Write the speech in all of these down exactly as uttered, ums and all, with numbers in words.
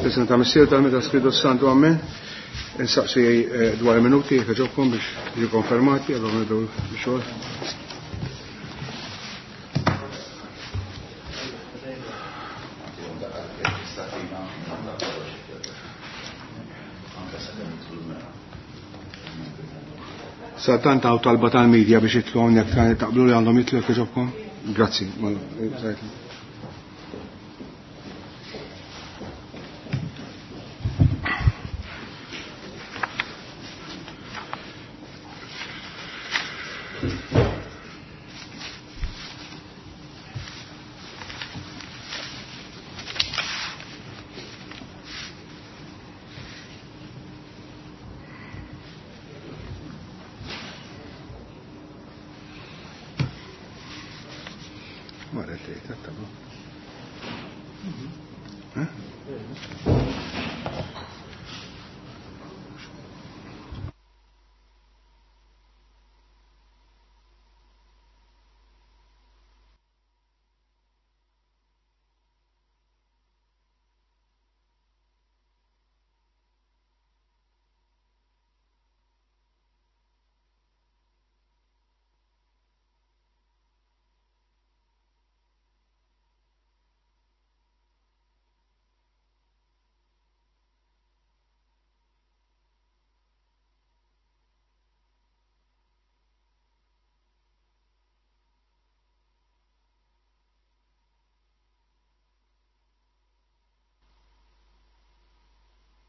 President Missier tal-Meta Spiritu Santu, amen. Insaqsi dwar minuti jekk ġobkom biex jiġu konfermati, allora nibdew bix-xogħol. Sa tant hawn talba tal-medja biex jitlu hawnhekk taqblu li għandhom jitlu jekk ġobkom? Grazzi.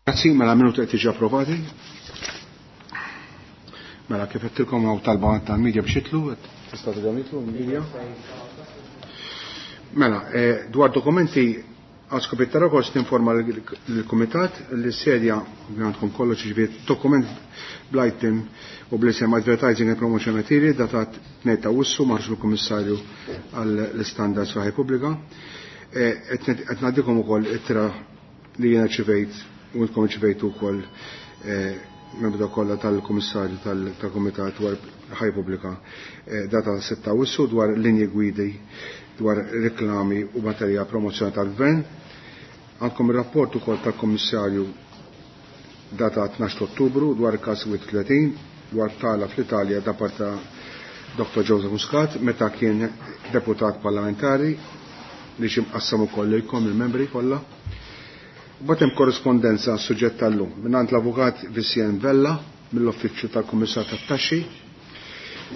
Grazzi, mela minuti qed tiġi approvati. Mela kif qedtilkom hawn talba tal-medja biex jitlu, tista' tidhom jitlu l-medja. Mela, dwar dokumenti għal skop ta' rokors tinforma l-Kumitat li sedja għandkom kollox ġifieri dokument bl-item u bl-isem Advertising and Promotion Material datat tnejn ta' Awwissu maħruġ mill-Kummissarju għall-Istandards fl-Ħajja Pubblika. Qed ngħaddikom ukoll ittra li jiena ċivejt u intkom ċivejtu wkoll membru kollha tal-Kummissarju tal-Kumitat dwar Ħajja Pubblika data sitta Awwissu dwar linji gwidi dwar reklami u materja promozzjoni tal-Gvern. Għandkom ir-rapport ukoll tal-Kummissarju data tnax Ottubru dwar il-każ wieħed u tletin dwar tala fl-Italja da parta Doktor Joseph Muscat meta kien deputat parlamentari li xi mqassam ukoll lilkom il-membri kollha. Mbagħad hemm korrispondenza suġġett tal-lum mingħand l-Avukat Vicien Vella mill-Uffiċċju tal-Kummissar tat-Taxxi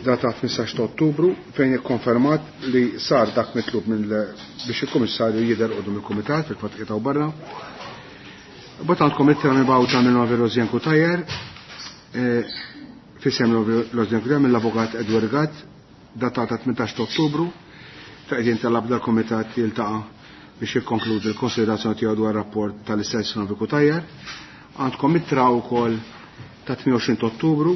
data tmintax ta' Ottubru fejn ikkonfermat li sar dak mitlub minn biex il-Kummissarju jidher quddiem il-Kumitat fil-fatt qiegħed barra. Mbagħad għandkom ittra mibgħuta minn Novi Rosien Cutajar fisem Rosien Cutajar mill-Avukat Edward Gatt datata tmintax ta' Ottubru fejn qegħdin talab dal-Kumitat jiltaqa' biex jikkonkludi l-konsiderazzjoni tiegħu dwar rapport tal-istess Novi Cutajar. Għandkom ittra wkoll ta' tmien u għoxrin ta' Ottubru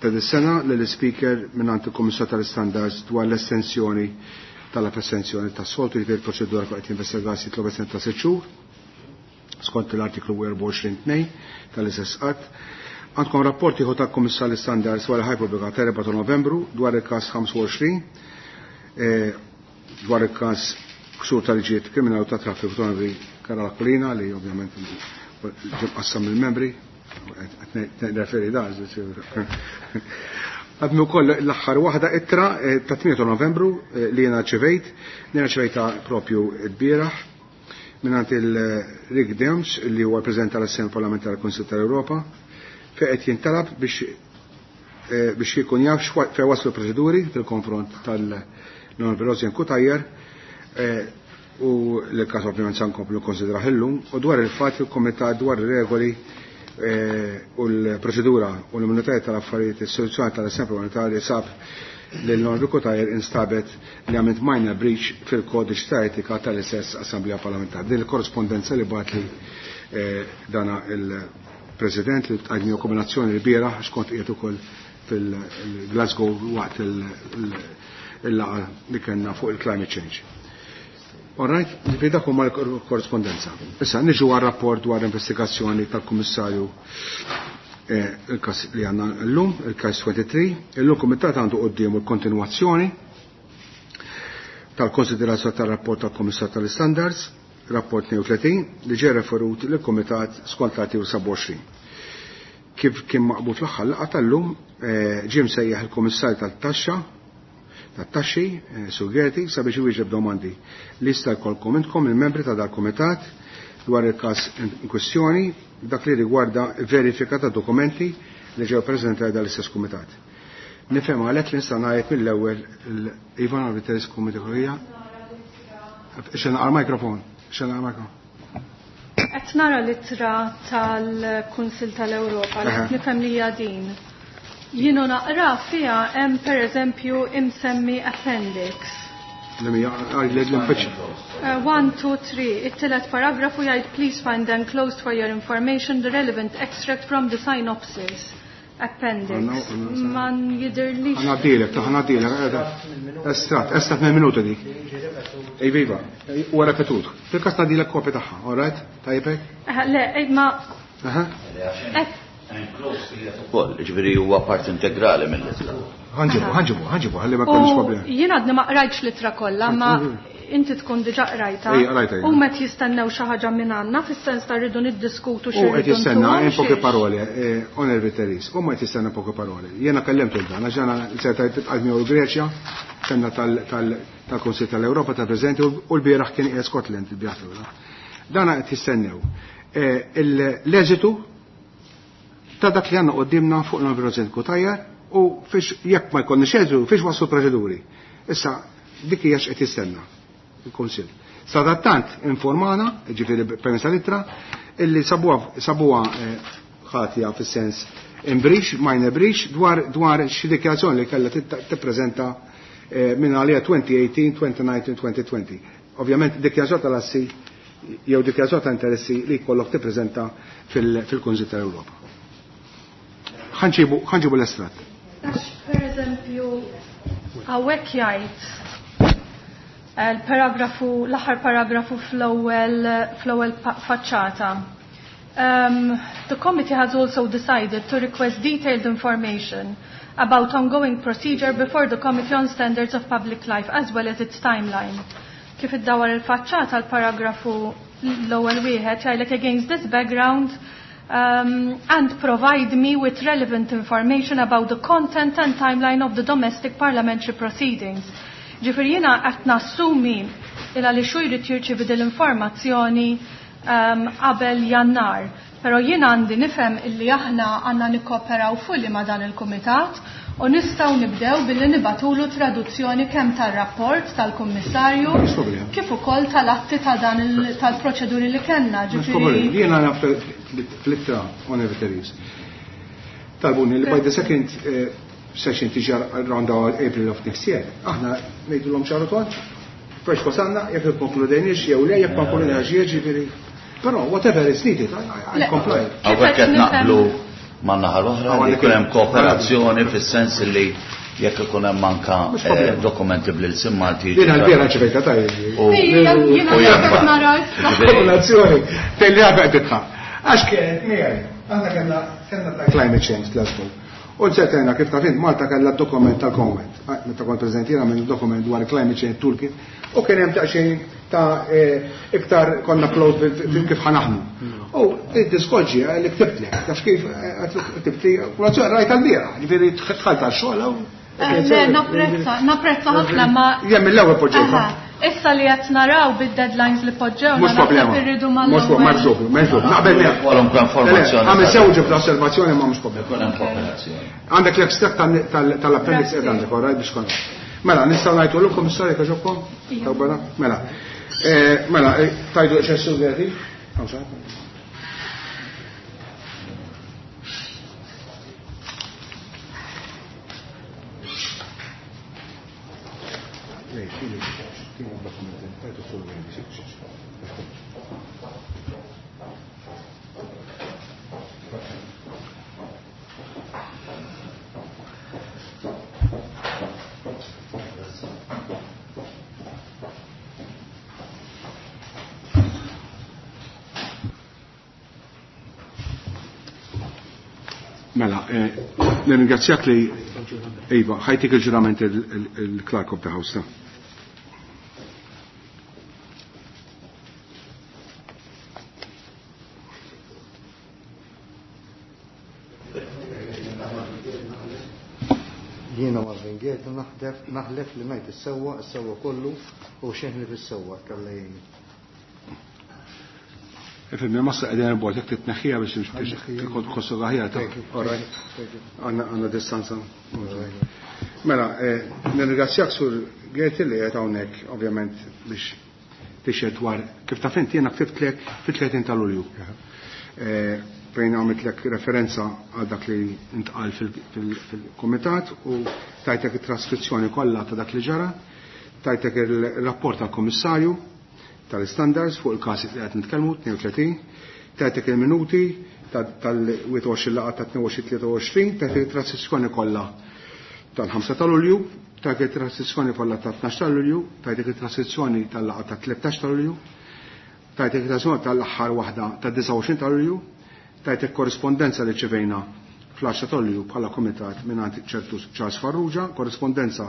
ta' dis-sena lill-Speaker mingħand il-Kummissar tal-Istandards dwar l-estensjoni tal-estensjoni tas-soltu jiġifieri l-proċedura fuq qed jinvestiga jitlob estensjoni ta' sitt xhur skont l-artiklu erbgħa u għoxrin tnejn tal-istess qatt. Għandkom rapport ieħor tal-Kummissar tal-Istandards dwar il-Ħajja Pubblika ta' erbgħa ta' Novembru dwar il-każ ħamsa u għoxrin dwar il-każ ksur tal-liġijiet kriminali u ta' traffiku ta' Onorevoli Karol Aquilina li ovvjament ġie mqassam mill-membri, qed nirreferi da. Għadmi wkoll l-aħħar waħda ittra ta' tmien ta' Novembru li jiena rċevejt, li jiena rċevejta propju l-bieraħ mingħand il-Rick Dems li huwa President tal-Assemblea Parlamentari tal-Kunsill tal-Ewropa fejn qed jintalab biex biex jkun jaf fejn waslu proċeduri fil-konfront tal-Onorevoli Rosien Cutajar u l-każ ovvjament se nkomplu konsidrah illum u dwar il-fatt li l-Kumitat dwar ir-regoli u l-proċedura u l-immunitajiet tal-affarijiet istituzzjonali tal-Assemblea Parlamentari sab li l-Onorevoli Cutajar instabet li għamilt minor breach fil-kodiċ ta' etika tal-istess Assemblea Parlamentari. Din il-korrespondenza li bagħat li dana il-President li tqajmi kombinazzjoni li bieraħ għax kont qiegħed ukoll fil-Glasgow waqt il-laqgħa li kellna fuq il-climate change. All right, ġifieri dak huma l-korrespondenza. Issa niġu għar-rapport dwar investigazzjoni tal-Kummissarju il-każ li għandna llum, il-każ twenty-three. Illum kumitat għandu quddiemu l-kontinwazzjoni tal-konsiderazzjoni tar-rapport tal-Kummissar tal-Standards, rapport tnejn u tletin, li ġie referut lill-Kumitat skont l-artikolu sebgħa u għoxrin. Kif kien maqbul fl-aħħar laqgħa tal-lum, ġie msejjaħ il-Kummissarju tat-Taxxa tat-Taxxi, Sur Gerti, sabiex iwieġeb domandi li jista' jkollkom intkom il-membri ta' dal-Kumitat dwar il-każ in kwestjoni dak li rigwarda verifika ta' dokumenti li ġew preżentati dal-istess kumitat. Nifhem għalhekk li nista' ngħid mill-ewwel Ivan Arviteris Kumitat. Xena għal-mikrofon, xena għal-mikrofon. Qed nara l-ittra tal-Kunsill tal-Ewropa li qed nifhem li hija din. Jienu naqra fiha hemm pereżempju imsemmi appendix. One, two, three. It-tielet paragrafu jgħid please find enclosed for your information the relevant extract from the synopsis. Appendix. Ma jidirlix. Ħanadilek, ħanadilek. Estrat, estrat minn minuta dik. Ej viva, huwa repetut. Fil-każ ngħadilek kopja tagħha, all right? Tajjeb? Le, ma. Aha. Ukoll, ġifieri huwa part integrali mill-ittra. Ħanġibu, ħanġibu, ħanġibu, ħalli ma jkollniex problemi. Jien għadni ma qrajtx l-ittra kollha, ma inti tkun diġà qrajta. U meta jistennew xi ħaġa minn għandna fis-sens ta' rridu niddiskutu xi. U qed jistenna in poche parole, onorevoli Teris, u ma qed jistenna poche parole. Jiena kellemtu dan, għax jiena seta' tibqa' miegħu l-Greċja, kellna tal-Kunsill tal-Ewropa ta' preżenti u l-bieraħ kien qiegħed Scotland il-bieraħ. Dan qed jistennew. L-eżitu ta' dak li għandna qudiemna fuq l-President Cutajar u fiex jekk ma jkollniex eżitu fiex waslu proċeduri. Issa dik hija x'qed jistenna il-Kunsill. Sadattant informana, ġifieri permezz tal-ittra, illi sabuha sabuha ħatja fis-sens in breach, minor breach, dwar dwar xi dikjarazzjoni li kellha tippreżenta minn għalija twenty eighteen, twenty nineteen, twenty twenty. Ovvjament dikjarazzjoni tal-assi jew dikjarazzjoni ta' interessi li jkollok tippreżenta fil-Kunsill tal-Ewropa. Ħanġibu ħanġibu l-estrat. Għax per eżempju hawnhekk jgħid il-paragrafu, l-aħħar paragrafu fl-ewwel fl-ewwel faċċata. Um, the committee has also decided to request detailed information about ongoing procedure before the Committee on Standards of Public Life as well as its timeline. Kif iddawar il-faċċata l-paragrafu l-ewwel wieħed jgħidlek against this background um, and provide me with relevant information about the content and timeline of the domestic parliamentary proceedings. Ġifieri jiena qed nassumi il għaliex hu jrid jirċievi din l-informazzjoni qabel Jannar. Però jiena għandi nifhem illi aħna għandna nikkooperaw fulli ma' dan il-kumitat u nistgħu nibdew billi nibatulu traduzzjoni kemm tar-rapport tal-Kummissarju kif ukoll tal-atti ta' dan tal-proċeduri li kellna. Ġifieri jiena naf fl-ittra onorevoli talbuni li by the second session tiġi around April of next year. Aħna ngħidulhom ċaru tont, fresh wasalna, jekk ikkonkludejniex jew le, jekk ma konkludejniex jiġifieri. Però whatever is needed, I comply. Hawnhekk qed naqblu man-naħa l-oħra li jkun hemm kooperazzjoni fis-sens li jekk ikun hemm anka dokumenti bl-ilsien Malti. Jiena l-bieraħ ċivejta tajjeb. Jiena nara Kooperazzjoni fejn li għabek titħaq. Għax kienet miegħi, aħna kellna kellna ta' climate change Glasgow. U ġetena kif taf int Malta kellha dokument tal-Commonwealth. Meta kont preżent jiena minn dokument dwar climate change toolkit u kien hemm daqsxejn ta' iktar konna close kif ħanaħmu. U id-diskorġi li ktibtlek, taf kif ktibtli, kolazzjoni rajt għal-bieraħ, ġifieri tħalt għax-xogħol hawn. Le, napprezza, napprezza ħafna ma. Jien mill-ewwel poġġejta. Issa li qed naraw bid-deadlines li poġġew, Mhux problema. Irridu Mhux problema, m'hemmx dubju, m'hemmx dubju. Naqbel miegħek. Kwalunkwe informazzjoni. Għamel sew ġibda osservazzjoni ma mhux problema. Ikun hemm kooperazzjoni. Għandek l-extract tal-appendix qed għandek, all right, biex kont. Mela, nistgħu ngħidu l kummissarju kħaġobkom? Tawbana? Mela. Mela, tajdu x'essu veri? Mela, nirringrazzjak li Iva, ħajtik il-ġurament il-Clerk of the House. Jiena Marvin Gaerty naħlef li ngħid is-sewwa, is-sewwa kollu u xejn li fis-sewwa Alla jgħinni. Ifhem, ma sa qegħdin il-bord jekk titneħħiha biex tħossu aħjar ta' għandna distanza. Mela, nirringrazzjak Sur Gaerty li qed hawnhekk ovvjament biex tixhed dwar kif taf inti jiena ktibtlek fit-tletin ta' Lulju. Fejn għamiltlek referenza għal dak li intqal fil-kumitat u tajtek it-traskrizzjoni kollha ta' dak li ġara, tajtek il-rapport tal-Kummissarju tal-Standards fuq il-każ li qed nitkellmu tnejn u tletin, tajtek il-minuti tal-wieħed u għoxrin laqgħa ta' tnejn u għoxrin tlieta u għoxrin, tajtek it-traskrizzjoni kollha tal-ħamsa ta' Lulju, tajtek it-traskrizzjoni kollha ta' tnax ta' Lulju, tajtek it-traskrizzjoni tal-laqgħa ta' tlettax ta' Lulju, tajtek it-traskrizzjoni tal-aħħar waħda ta' disgħa u għoxrin ta' Lulju, tajtek korrispondenza li ċevejna fl-għaxra ta' Lulju bħala komitat mingħand ċertu Charles Farrugia, korrispondenza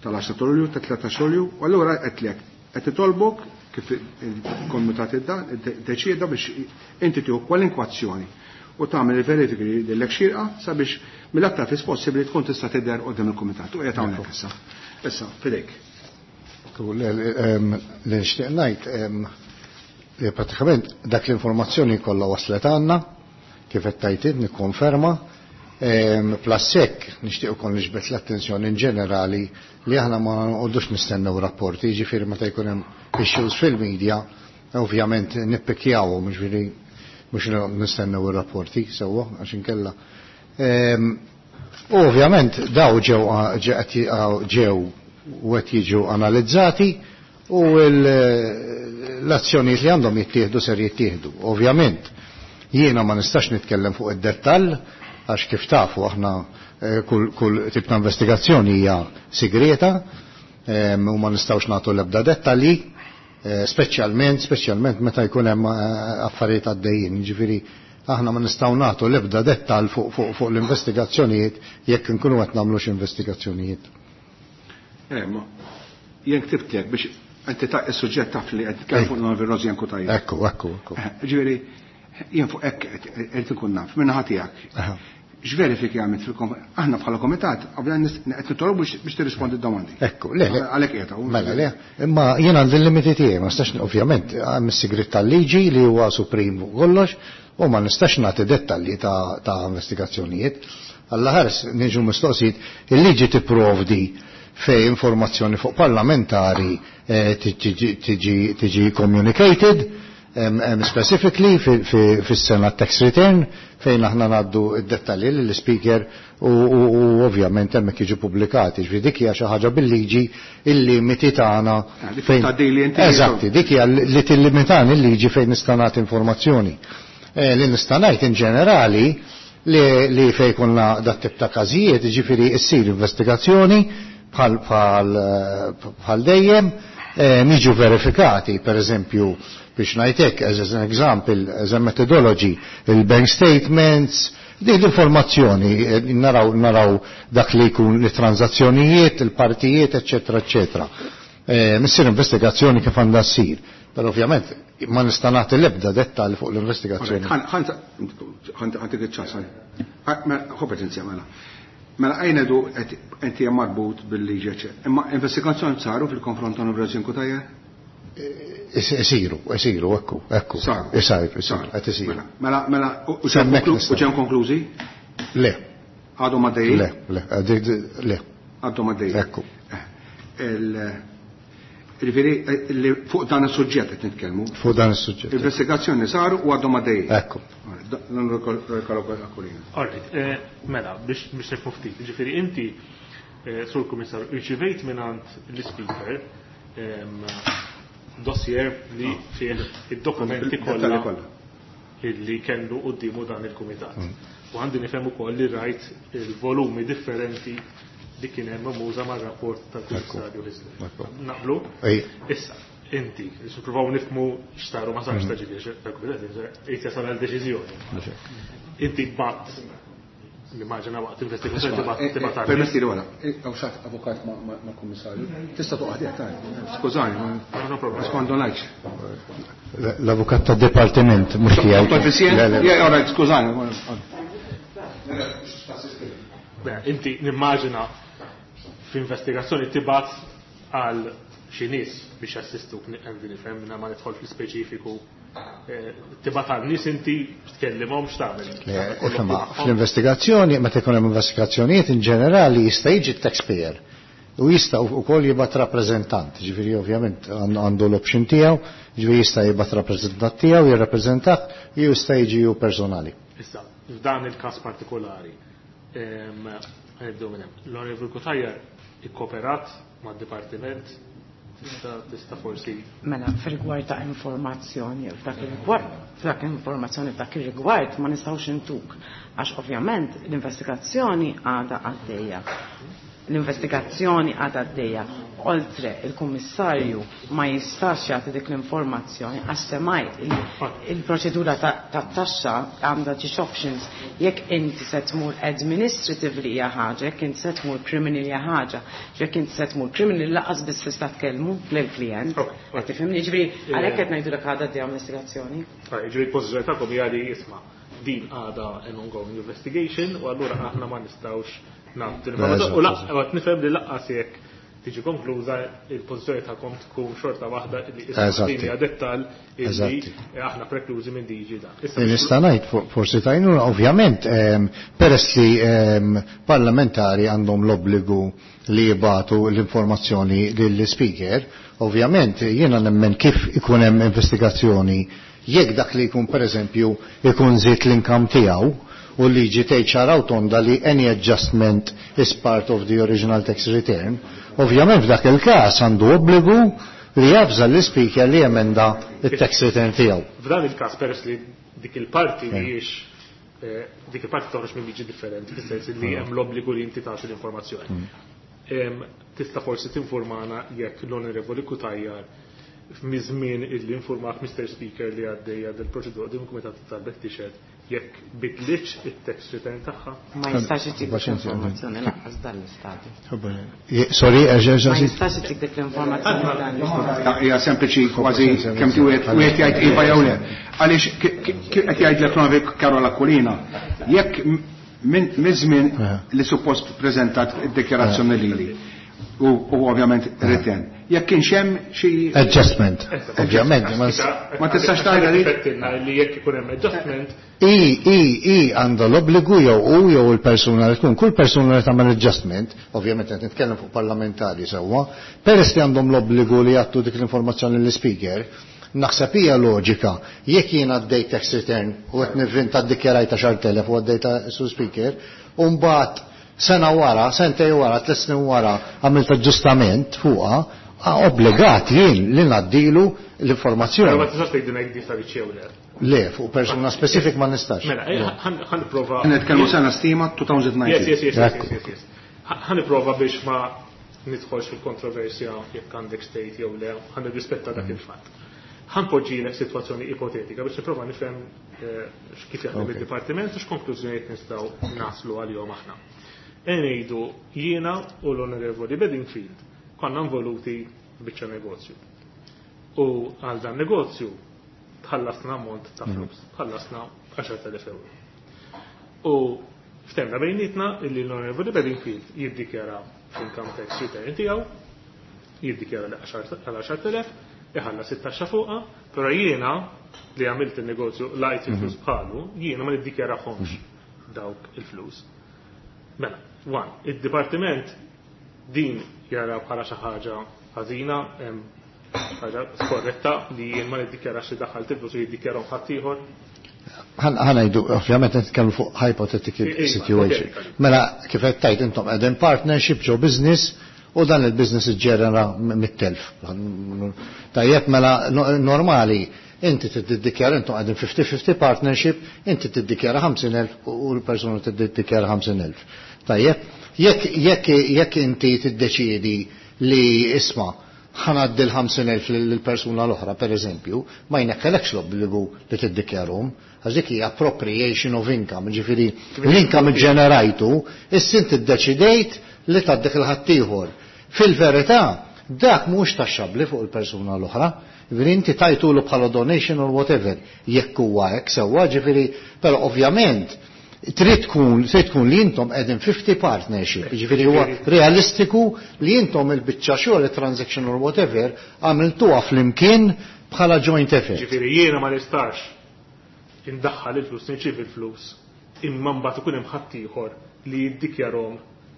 tal-għaxra ta' Lulju, ta' tlettax Lulju, u allura qedlek qed titolbok kif il-komitat iddeċieda biex inti tieħu kwalinkwa azzjoni u tagħmel il-verifiki lilek xierqa sabiex mill-aktar fis possibbli tkun tista' tidher qudiem il-kumitat. U qiegħed hawnhekk issa. Issa, fidejk. Li nixtieq ngħid li pratikament dak l-informazzjoni kollha waslet għandna, kif qed tgħid int nikkonferma. Plus hekk nixtieq ukoll niġbed l-attenzjoni in ġenerali li aħna ma nqogħdux nistennew rapporti, jiġifieri meta jkun hemm issues fil-media, ovvjament nippikjawhom, jiġifieri mhux nistennew ir-rapporti sewwa għax inkella. U ovvjament daw ġew ġew u qed jiġu analizzati u l-azzjonijiet li għandhom jittieħdu ser jittieħdu. Ovvjament jiena ma nistax nitkellem fuq id-dettall għax kif tafu aħna kull, kull tip ta' investigazzjoni hija segreta u ma nistgħux nagħtu l-ebda dettalji, speċjalment, speċjalment meta jkun hemm affarijiet għaddejjin. Jiġifieri aħna ma nistgħu nagħtu l-ebda dettall fuq, fuq, fuq l-investigazzjonijiet jekk inkunu qed nagħmlu xi investigazzjonijiet. Eh, ma jien ktibtlek biex inti ta' is-suġġett taf li qed titkellem fuq l-Onorevoli Rosianne Cutajar. Ekku, ekku, ekku. Ġifieri jien fuq hekk qed inkun naf minn naħa tiegħek. X'verifiki għamilt fil-kom-, aħna bħala komitat, qabel qed nitolbu biex, biex tirrispondi d-domandi. Ekku, le, le. Għalhekk qiegħed hawn. Mela, le, imma jien għandi l-limiti tiegħi, ma nistax, ovvjament, hemm is-sigriet tal-liġi li huwa suprim fuq kollox, u ma nistax nagħti dettalji ta', ta' investigazzjonijiet. Alla ħares niġu mistoqsijiet, il-liġi tipprovdi fej informazzjoni fuq parlamentari, eh, tiġi, tiġi, tiġi communicated, em, em, specifically fis-sena tax return fejn aħna ngħaddu id-dettalji lill-speaker u, u, u ovvjament hemmhekk jiġu pubblikati. Ġifieri dik hija xi ħaġa bil-liġi il-limiti tagħna Ah, dik fejn tgħaddi li inti Eżatti, dik hija li tillimitani l-liġi fejn nista' nagħti informazzjoni. Eh, li nista' ngħid in ġenerali li, li fejn konna dat tip ta' każijiet, jiġifieri ssir investigazzjoni bħal, bħal, bħal dejjem, eh, niġu verifikati, per eżempju, biex ngħidlek, as an example, as a methodology, il-bank statements, din l-informazzjoni, eh, naraw, naraw dak li jkun l-transazzjonijiet, il-partijiet, eccetera, eccetera. Eh, missir investigazzjoni kif għandha ssir. Però ovvjament ma nista' nagħti l-ebda dettall fuq l-investigazzjoni. Ħantik iċ-ċans, ħu paċenzja mela. Mela għajnedu inti hemm marbut bil-liġi, eċċetera. Imma investigazzjoni saru fil-konfront ta' Onorevoli Cutajar? Isiru, isiru, ekku, ekku. Saru. Isiru, isiru, Saru. qed isiru. Mela, mela, mela, u ġew Semmek konklu-, nistgħu. u ġew konklużi? Le. Għadhom għaddejjin? Le, le, għaddej, le. Għadhom għaddejjin. Ekku. Il-, Ġifieri, li fuq dan is-suġġett qed nitkellmu. Fuq dan is-suġġett. Investigazzjoni saru u għadhom għaddejjin. Ekku. All right, eh, mela, biex, biex nifhmu ftit. Ġifieri inti, eh, Sur Kummissarju, irċivejt mingħand l-Speaker, ehm, dossier li Ah. fih id-dokumenti Il-dettalji kollha kollha. illi kellu quddiemu dan il-kumitat. Mm. U għandi nifhem ukoll li rajt il-volumi differenti li kien hemm memuża mar-rapport tal-Kummissarju Hyzler. Ekku. Naqblu? Ej. Issa, inti, biex nippruvaw nifhmu x'saru ma sarx Mm. ta' ġifieri, tal-kumitat, qed jasal għal deċiżjoni. Inti bat, nimmaġina waqt investigazzjoni Isma', tibat eh, tibat eh, għal- Permetti li wara, hawn xi avukat ma-, ma-, ma' kummissarju. Tista' toqgħod jekk tgħid. Skużani, ma- No, no problem. Skont ngħidx. L-avukat tad-dipartiment mhux tiegħi. Dottor Fisien? Le, le. Yeah, all right, skużani. Beh, inti nimmaġina F'investigazzjoni tibgħat għal xi nies biex jassistu għandi nifhem minn ma nidħol fl-ispeċifiku tibgħat għal nies inti tkellimhom x'tagħmel. Fl-investigazzjoni, meta jkun hemm investigazzjonijiet in ġenerali jista' jiġi t-taxpayer u jista' wkoll jibgħat rappreżentant, ġifieri ovvjament għandu l-option tiegħu, ġifieri jista' jibgħat rappreżentant tiegħu jirrappreżentak, jew jista' jiġi hu personali. Issa, f'dan il-każ partikolari, nibdew minn hemm. L-Onorevoli Cutajar ikkooperat mad-dipartiment tista' tista' forsi. Mela, fir-rigward ta' informazzjoni, f'dak ir-rigward, f'dak informazzjoni f'dak ir-rigward ma nistgħux intuk, għax ovvjament l-investigazzjoni għadha għaddejja. L-investigazzjoni għadha għaddejja. Oltre, il-kummissarju ma jistax jagħti dik l-informazzjoni għax semmaj il-proċedura ta' taxxa għandha ġiex options. Jekk inti se tmur administratively hija ħaġa, jekk inti se tmur criminal hija ħaġa, jekk inti se tmur criminal laqas biss tista' tkellmu lill-klient. Qed tifhimni? Ġifieri għalhekk qed ngħidulek għadha għaddejja investigazzjoni. Ġifieri l-pożizzjoni tagħkom hija li isma' din għadha an ongoing investigation u allura aħna ma nistgħux nagħtu l-informazzjoni. U laqgħet nifhem li laqqas jekk tiġi konkluża il-pożizzjoni tagħkom tkun xorta waħda li issa din hija dettall illi aħna preklużi minn diġi dan. Nista' ngħid forsi tajnuna ovvjament peress li parlamentari għandhom l-obbligu li jibgħatu l-informazzjoni lill-speaker, ovvjament jiena nemmen kif ikun hemm investigazzjoni jekk dak li jkun pereżempju ikun żied l-income tiegħu u liġi tgħid ċara u tonda li any adjustment is part of the original tax return, ovvjament f'dak il-każ għandu obbligu li javża l-speaker li jemenda it-tax return tiegħu. F'dan il-każ peress li dik il-parti mhijiex dik il-parti toħroġ minn liġi differenti, fis-sens li hemm l-obbligu li inti tagħti l-informazzjoni. Tista' forsi tinformana jekk l-Onorevoli Cutajar miż-żmien illi informat Mister Speaker li għaddejja del-proċedura din il-Kumitat talbet tixhed jekk bidlitx it-tax return tagħha. Ma jistax itik informazzjoni lanqas dan l-istadju. Sorry, ma jistax itik dik l-informazzjoni dan l-istadju. Hija sempliċi kważi kemm wieħed wieħed jgħid iva jew le. Għaliex qed jgħidlek l-Onorevoli Karol Aquilina, jekk minn żmien li suppost preżentat id-dikjarazzjoni lili u ovvjament return. Jekk kienx hemm xi adjustment, ovvjament. Ma tistax tgħidha li li jekk ikun hemm adjustment. I i i għandha l-obbligu jew u jew il-persuna li tkun, kull persuna li tagħmel adjustment, ovvjament qed nitkellem fuq parlamentari sewwa, peress li għandhom l-obbligu li jagħtu dik l-informazzjoni lill-speaker, naħseb hija loġika jekk jien għaddejt tax return u qed nivvinta ddikjarajt għaxart elef u għaddejta su speaker, u mbagħad sena wara, sentej wara, tliet snin wara għamilt aġġustament fuqha, obbligat jien li ngħaddilu l-informazzjoni. Ma tistax tgħidilna jekk di saritx jew le. Le, fuq persuna specific ma nistax. Mela, ħa nipprova. Nitkellmu sena stima twenty nineteen. Yes, yes, yes, yes, yes, yes. Ħa nipprova biex ma nidħolx fil-kontroversja jekk għandek state jew le, ħa nirrispetta dak il-fatt. Ħa npoġġilek sitwazzjoni ipotetika biex nipprova nifhem kif jaħdem id-dipartiment u x'konklużjonijiet nistgħu naslu għalihom aħna. Ngħidu jiena u l-Onorevoli Bedingfield konna involuti f'biċċa negozju. U għal dan negozju tħallasna ammont ta' flus, tħallasna għaxart elef euro. U ftehemna bejnietna illi l-Onorevoli Bedingfield jiddikjara fl-income tax return tiegħu, jiddikjara li għal għaxart elef, iħallas it-taxxa fuqha, però jiena li għamilt il-negozju lajt il-flus bħalu, jiena ma niddikjarahomx dawk il-flus. Mela, one, id-dipartiment din jara bħala xi ħaġa ħażina, ħaġa skorretta li jien ma niddikjarax li daħħalt il-flus u jiddikjarahom ħaddieħor. Ħa ngħidu, ovvjament nitkellmu fuq hypothetical situation. Mela, kif qed tgħid intom qegħdin partnership ġo business u dan il-business iġġenera mit-telf. Tajjeb, mela normali inti tiddikjara, intom qegħdin fifty fifty partnership, inti tiddikjara ħamsin elf u l-persuna tiddikjara ħamsin elf. Tajjeb, jekk jekk jekk inti tiddeċiedi li isma' ħa ngħaddi l-ħamsin elf lill-persuna l-oħra, per eżempju, ma jnekkelekx l-obbligu li tiddikjarhom, għax dik hija appropriation of income, ġifieri l-income ġenerajtu, issa inti ddeċidejt li tgħaddih lil ħaddieħor. Fil-verità, dak mhux taxxabbli fuq il-persuna l-oħra, ġifieri inti tajtulu bħala donation or whatever, jekk huwa hekk sewwa, ġifieri, però ovvjament Trid tkun trid tkun li intom qegħdin fifty partnership, jiġifieri huwa realistiku li intom il-biċċa xogħol, il-transaction or whatever, għamiltuha flimkien bħala joint effort. Ġifieri jiena ma nistax indaħħal il-flus, nirċievi il-flus, imma mbagħad ikun hemm ħaddieħor li jiddikjarhom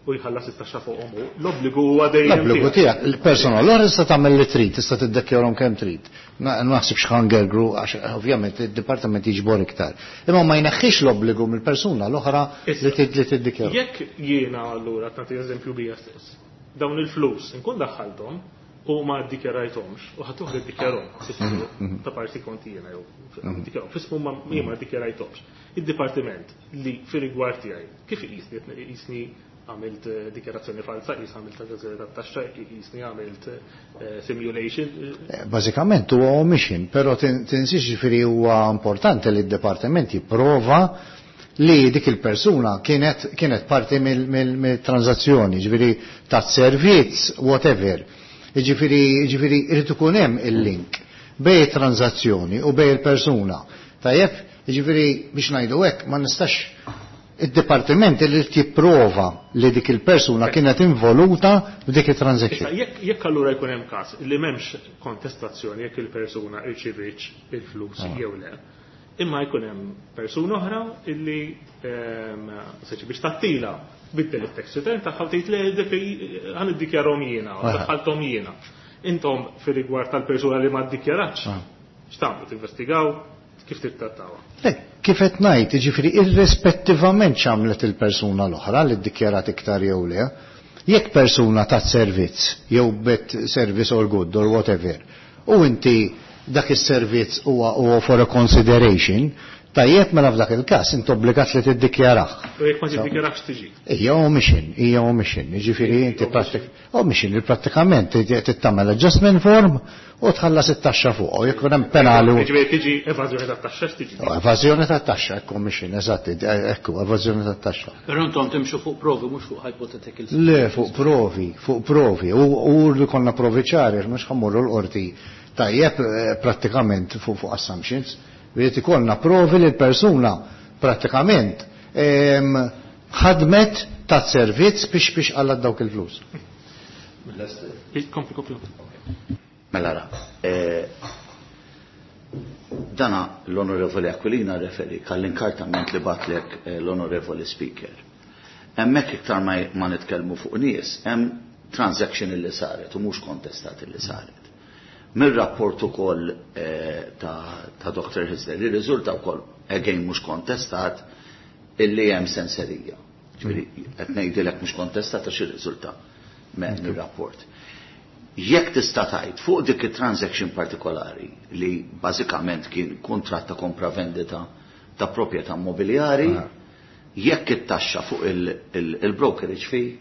u jħallas it-taxxa fuqhom hu. L-obbligu huwa dejjem L-obbligu tiegħek, il-persona l-oħra tista' tagħmel li trid, tista' tiddikjarhom kemm trid. Ma naħsibx ħa ngergru għax ovvjament id-dipartiment jiġbor iktar. Imma ma jneħħix l-obbligu mill-persuna l-oħra li tiddikjarhom. Jekk jiena allura nagħti eżempju bija stess, dawn il-flus inkun daħħalthom u ma ddikjarajthomx u ħadd oħra ddikjarhom ta' parti kont jiena jew ddikjarhom f'ismu ma jien ma ddikjarajthomx. Id-dipartiment li fir-rigward tiegħi kif iqisni iqisni għamilt dikjarazzjoni falsa, qis għamilt evażjoni tat-taxxa, qisni għamilt simulation. Bażikament huwa omission, però tinsiex ġifieri huwa importanti li d-dipartiment jipprova li dik il-persuna kienet kienet parti mill-transazzjoni, ġifieri ta' servizz, whatever. Ġifieri ġifieri irid ikun hemm il-link bejn it-transazzjoni u bejn il-persuna. Tajjeb, ġifieri biex ngħidu hekk ma nistax id-dipartiment li jipprova li dik il-persuna kienet involuta f'dik it-transaction. Issa, jekk allura jkun hemm każ li m'hemmx kontestazzjoni jekk il-persuna irċivietx il-flus jew le, imma jkun hemm persuna oħra illi seċi biex tattila biddel it-tax return tagħha u tgħid le dik ħa niddikjarhom jiena, daħħalthom jiena. Intom fir-rigward tal-persuna li ma ddikjaratx, x'tagħmlu tinvestigaw? Kif tittrattawha? Le, kif qed ngħid, jiġifieri irrispettivament x'għamlet il-persuna l-oħra li ddikjarat iktar jew le, jekk persuna tat servizz jew bet service or good or whatever, u inti dak is-servizz huwa huwa for a consideration, tajjeb mela f'dak il-każ inti obbligat li tiddikjarah. U jekk ma tiddikjarax tiġi? Hija omission, hija omission, jiġifieri inti prattik omission li prattikament tagħmel adjustment form u tħallas it-taxxa fuq, u jekk hemm penali. Jiġifieri tiġi evażjoni tat-taxxa x'tiġi? Evażjoni tat-taxxa, hekk omission, eżatt, ekku, evażjoni tat-taxxa. Però intom timxu fuq provi mhux fuq hypothetical. Le, fuq provi, fuq provi, u li konna provi ċari, mhux ħa mmorru l-qorti tajjeb prattikament fuq fuq assumptions. Irid ikollna provi li l-persuna prattikament ħadmet ta' servizz biex biex għallat dawk il-flus. Kompli, kompli. Mela ra, dana l-Onorevoli Aquilina referi għall-inkartament li batlek l-Onorevoli Speaker. Hemmhekk iktar ma nitkellmu fuq nies, hemm transaction li saret u mhux kontestat li saret. Mir-rapport ukoll ta' Doctor Hyzler li riżulta wkoll again mhux kontestat illi hemm senserija. Ġifieri qed ngħidilek mhux kontestat għax irriżulta mir-rapport. Jekk tista' tgħid fuq dik it-transaction partikolari li bażikament kien kuntratt ta' kompravendita ta' proprjetà immobiljari, jekk it-taxxa fuq il-brokerage fee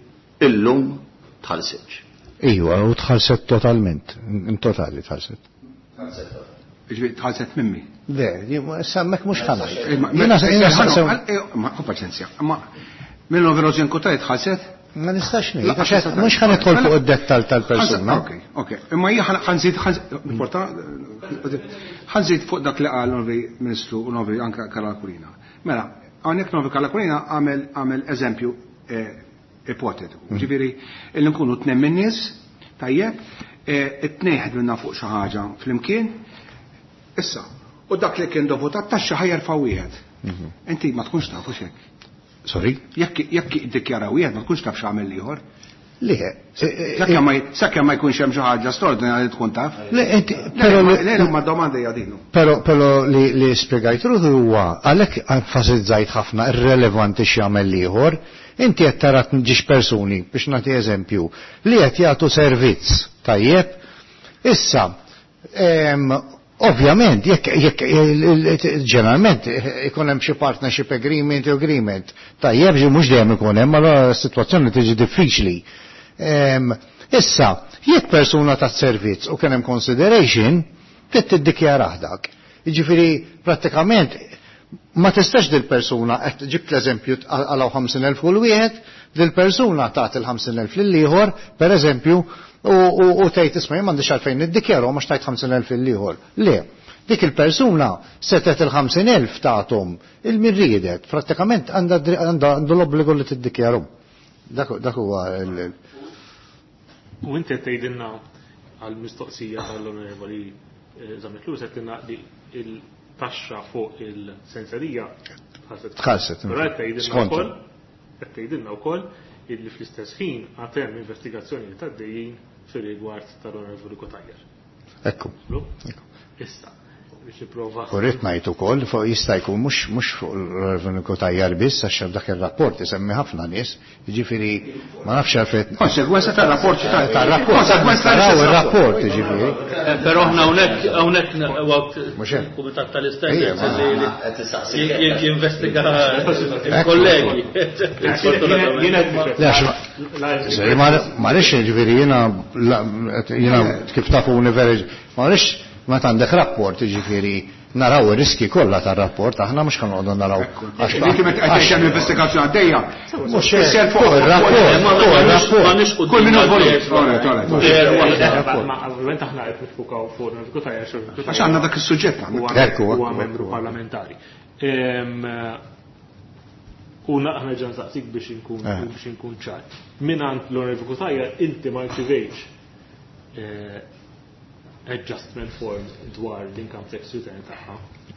illum tħallsitx. Iwa, u tħallset totalment, in totali tħallset. Ġifieri tħallset mimmi. Le, sammek mhux ħa ngħid. Ma paċenzja, ma minn Rosin Kutaj tħallset? Ma nistax ngħid, mhux ħa nidħol fuq id-dettall tal-persuna. Ok, ok. Imma jien ħa nżid ħa nżid fuq dak li qal l-Onorevoli Ministru u l-Onorevoli anke Karl Aquilina. Mela, hawnhekk l-Onorevoli Karl Aquilina għamel għamel eżempju ipotetiku. Ġifieri illi nkunu tnejn min-nies, tajjeb, it-tnejn ħdimna fuq xi ħaġa flimkien. Issa, u dak li kien dovut għat-taxxa ħa jerfa' wieħed. Inti ma tkunx tafu x'hekk. Sorry? Jekk jekk iddikjara wieħed ma tkunx taf x'għamel ieħor. Le, sakemm ma sakemm ma jkunx hemm xi ħaġa straordinarja li tkun taf. Le, inti però le ma domanda hija din. Però però li li spjegajt ruħu huwa għalhekk enfasizzajt ħafna irrelevanti x'jagħmel ieħor. Inti qed tara ġiex persuni biex nagħti eżempju li qed jagħtu servizz tajjeb. Issa, ovvjament, jekk jekk ġeneralment ikun hemm xi partnership agreement u agreement, tajjeb ġi mhux dejjem ikun hemm, allura s-sitwazzjoni tiġi diffiċli. Issa, jekk persuna ta' servizz u kien hemm consideration, trid tiddikjarah dak. Jiġifieri prattikament ma tistax dil-persuna, qed ġibt l-eżempju għalaw ħamsin elf kull wieħed, dil-persuna tagħti l-ħamsin elf lil ieħor, per eżempju, u tgħid isma' jien m'għandix għalfejn niddikjarhom għax tajt ħamsin elf lil ieħor. Le, Dik il-persuna setet il-ħamsin elf tagħthom il-min riedet, prattikament għandha għandu l-obbligu li tiddikjarhom. Dak huwa il- U inti qed tgħidilna għall-mistoqsija tal-Onorevoli Zammit Lewis qed tgħidilna li il-taxxa fuq il-senserija tħallset. Tħallset. Però qed tgħidilna wkoll qed tgħidilna wkoll illi fl-istess ħin għad hemm investigazzjoni għaddejjin fir-rigward tal-Onorevoli Cutajar. Ekku. Issa, biex nipprova. U rrid ngħid ukoll fuq jista' jkun mhux mhux fuq l-Onorevoli Cutajar biss għax dak ir-rapport isemmi ħafna nies, jiġifieri ma nafx għalfejn. Konsegwenza tar-rapport tar-rapport. Konsegwenza Taraw ir-rapport jiġifieri. Però aħna hawnhekk hawnhekk waqt Mhux hekk. il-Kumitat tal-Istandards Ejja, li jinvestiga il-kollegi. Le, għax ma rridx jiġifieri jiena jiena kif tafuni veri ma rridx meta għandek rapport jiġifieri naraw ir-riski kollha tar-rapport, aħna mhux ħa noqogħdu naraw. Dik meta qed hemm investigazzjoni għaddejja. Mhux hekk, fuq ir-rapport, fuq ir-rapport. Kull min involut. Ma ovvjament aħna qed nifukaw fuq l-Onorevoli Cutajar Għax għandna dak is-suġġett għandna. Ekku, Huwa membru parlamentari. U aħna ġan saqsik biex inkun biex inkun ċar. Mingħand l-Onorevoli Cutajar inti ma rċivejx adjustment form dwar l-income tax return tagħha.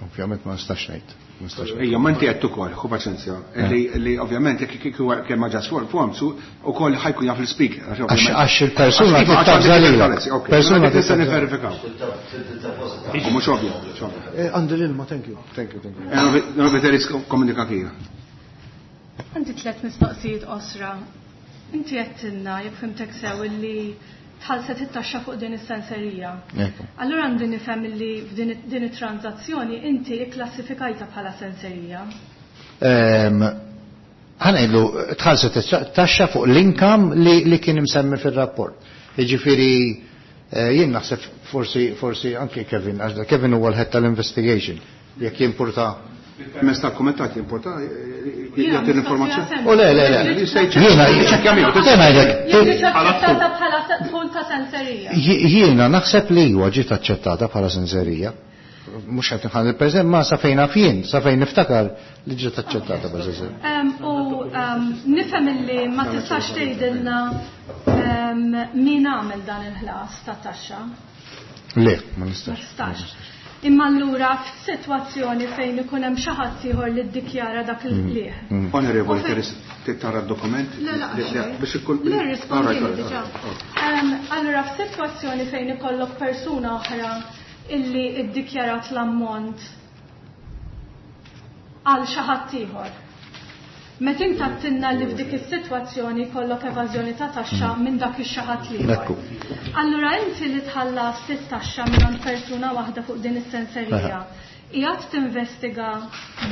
Ovvjament ma nistax ngħid. Ma nistax ngħid. Ejja, ma inti qed ukoll, ħu paċenzja, li li ovvjament jekk kieku kemm adjust form form su ukoll ħajkun jaf l-speaker. Għax għax il-persuna tittabża lilek. Persuna tista' tittabża. niverifikaw. U mhux ovvju, mhux ovvju. Għandi l-ilma, thank you. Thank you, thank you. Novi komunikativa. Għandi tliet mistoqsijiet qosra. Inti għedtilna, jekk fhimtek sew, illi tħallset it-taxxa fuq din is-senserija. Ekku. Allura għandi nifhem illi f'din din it-transazzjoni inti ikklassifikajta bħala senserija. Ehm, Ħa ngħidlu tħallset it-taxxa fuq l-income li, li kien imsemmi fir-rapport. Jiġifieri eh, jien naħseb forsi forsi anke Kevin, għax Kevin huwa l-head tal-investigation jekk jimpurta. Permezz tal-kumitat jimporta jagħti l-informazzjoni. U le, le, le. Jiena Jiċċekkja miegħu. Jiena ngħidlek, Jien aċċettata bħala dħul ta' senserija. Jiena naħseb li huwa ġiet aċċettata bħala senserija. Mhux qed nħalli il-preżent ma sa fejn naf jien, sa fejn niftakar li ġiet aċċettata bħala senserija. Em, U em, nifhem illi ma tistax tgħidilna em, min għamel dan il-ħlas ta' taxxa. Le, ma Ma nistax. tistax. Imma allura f'sitwazzjoni fejn ikun hemm xi ħadd ieħor li ddikjara dak il-qligħ. Onorevoli, teris tara d-dokument? Le, la, Le, le, biex ikun. Le, rispondini Alright, diġà. alright. Em, Allura f'sitwazzjoni fejn ikollok persuna oħra illi ddikjarat l-ammont għal xi ħadd ieħor. Meta inti għedtilna li f'dik is-sitwazzjoni jkollok evażjoni ta' taxxa minn dak ix-xi ħadd ieħor. Ekku. Allura inti li tħallas it-taxxa minn persuna waħda fuq din is-senserija. Qiegħed tinvestiga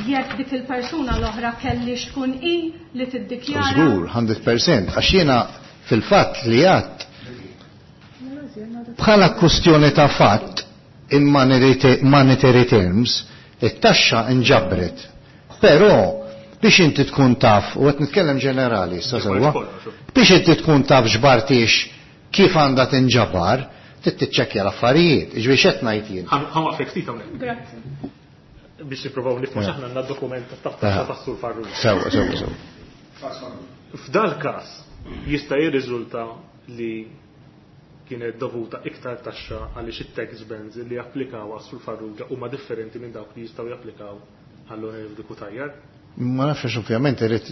jekk dik il-persuna l-oħra kellix tkun i li tiddikjara. Żgur, mija fil-mija, għax jiena fil-fatt li għadt bħala kwestjoni ta' fatt in monetary monetary terms, it-taxxa inġabret. Però biex inti tkun taf, u qed nitkellem ġenerali, issa sewwa, biex inti tkun taf ġbartix kif għandha tinġabar, trid tiċċekkja l-affarijiet, jiġifieri x'qed ngħid jien. Ħa nwaqfek ftit hawnhekk. Grazzi. Biex nippruvaw nifhmu x'aħna għandna dokument ta' taxxa tas-Sur Farrugia. Sewwa, sewwa, sewwa. F'dal każ jista' jirriżulta li kienet dovuta iktar taxxa għaliex it-tax bands li japplikaw għas-Sur Farrugia huma differenti minn dawk li jistgħu japplikaw għall-Onorevoli Cutajar. Ma nafx ovvjament irid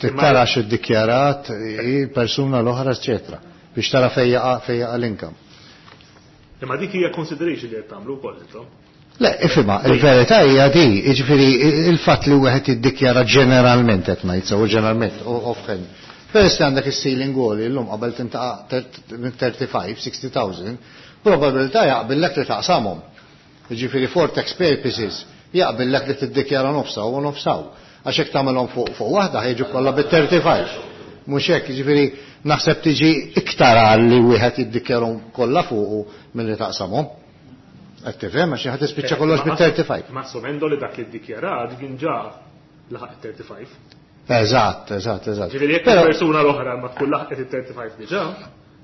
tittara x'iddikjarat il-persuna l-oħra, eċetera, biex tara fejn jaqa' fejn jaqa' l-income. Imma dik hija consideration li qed tagħmlu wkoll intom. Le, ifhimha, il-verità hija di, jiġifieri il-fatt li wieħed jiddikjara ġeneralment qed ngħid sew ġeneralment offhand. Peress li għandek is-ceiling għoli llum qabel tintaqa' minn thirty-five, sixty thousand, probabilità jaqbillek li taqsamhom. Jiġifieri for tax purposes jaqbillek li tiddikjara nofsaw u nofsaw. Għax hekk tagħmelhom fuq fuq waħda ħejġu kollha bit-thirty-five. Mhux hekk, jiġifieri naħseb tiġi iktar għal li wieħed jiddikjarhom kollha fuqu milli taqsamhom. Qed tifhem għax ħadd tispiċċa kollox bit-thirty-five. Ma assumendo li dak li ddikjarat kien ġa laħaq it-thirty-five. Eżatt, eżatt, eżatt. Ġifieri jekk Però il-persuna l-oħra ma tkun laħqet it-thirty-five diġà,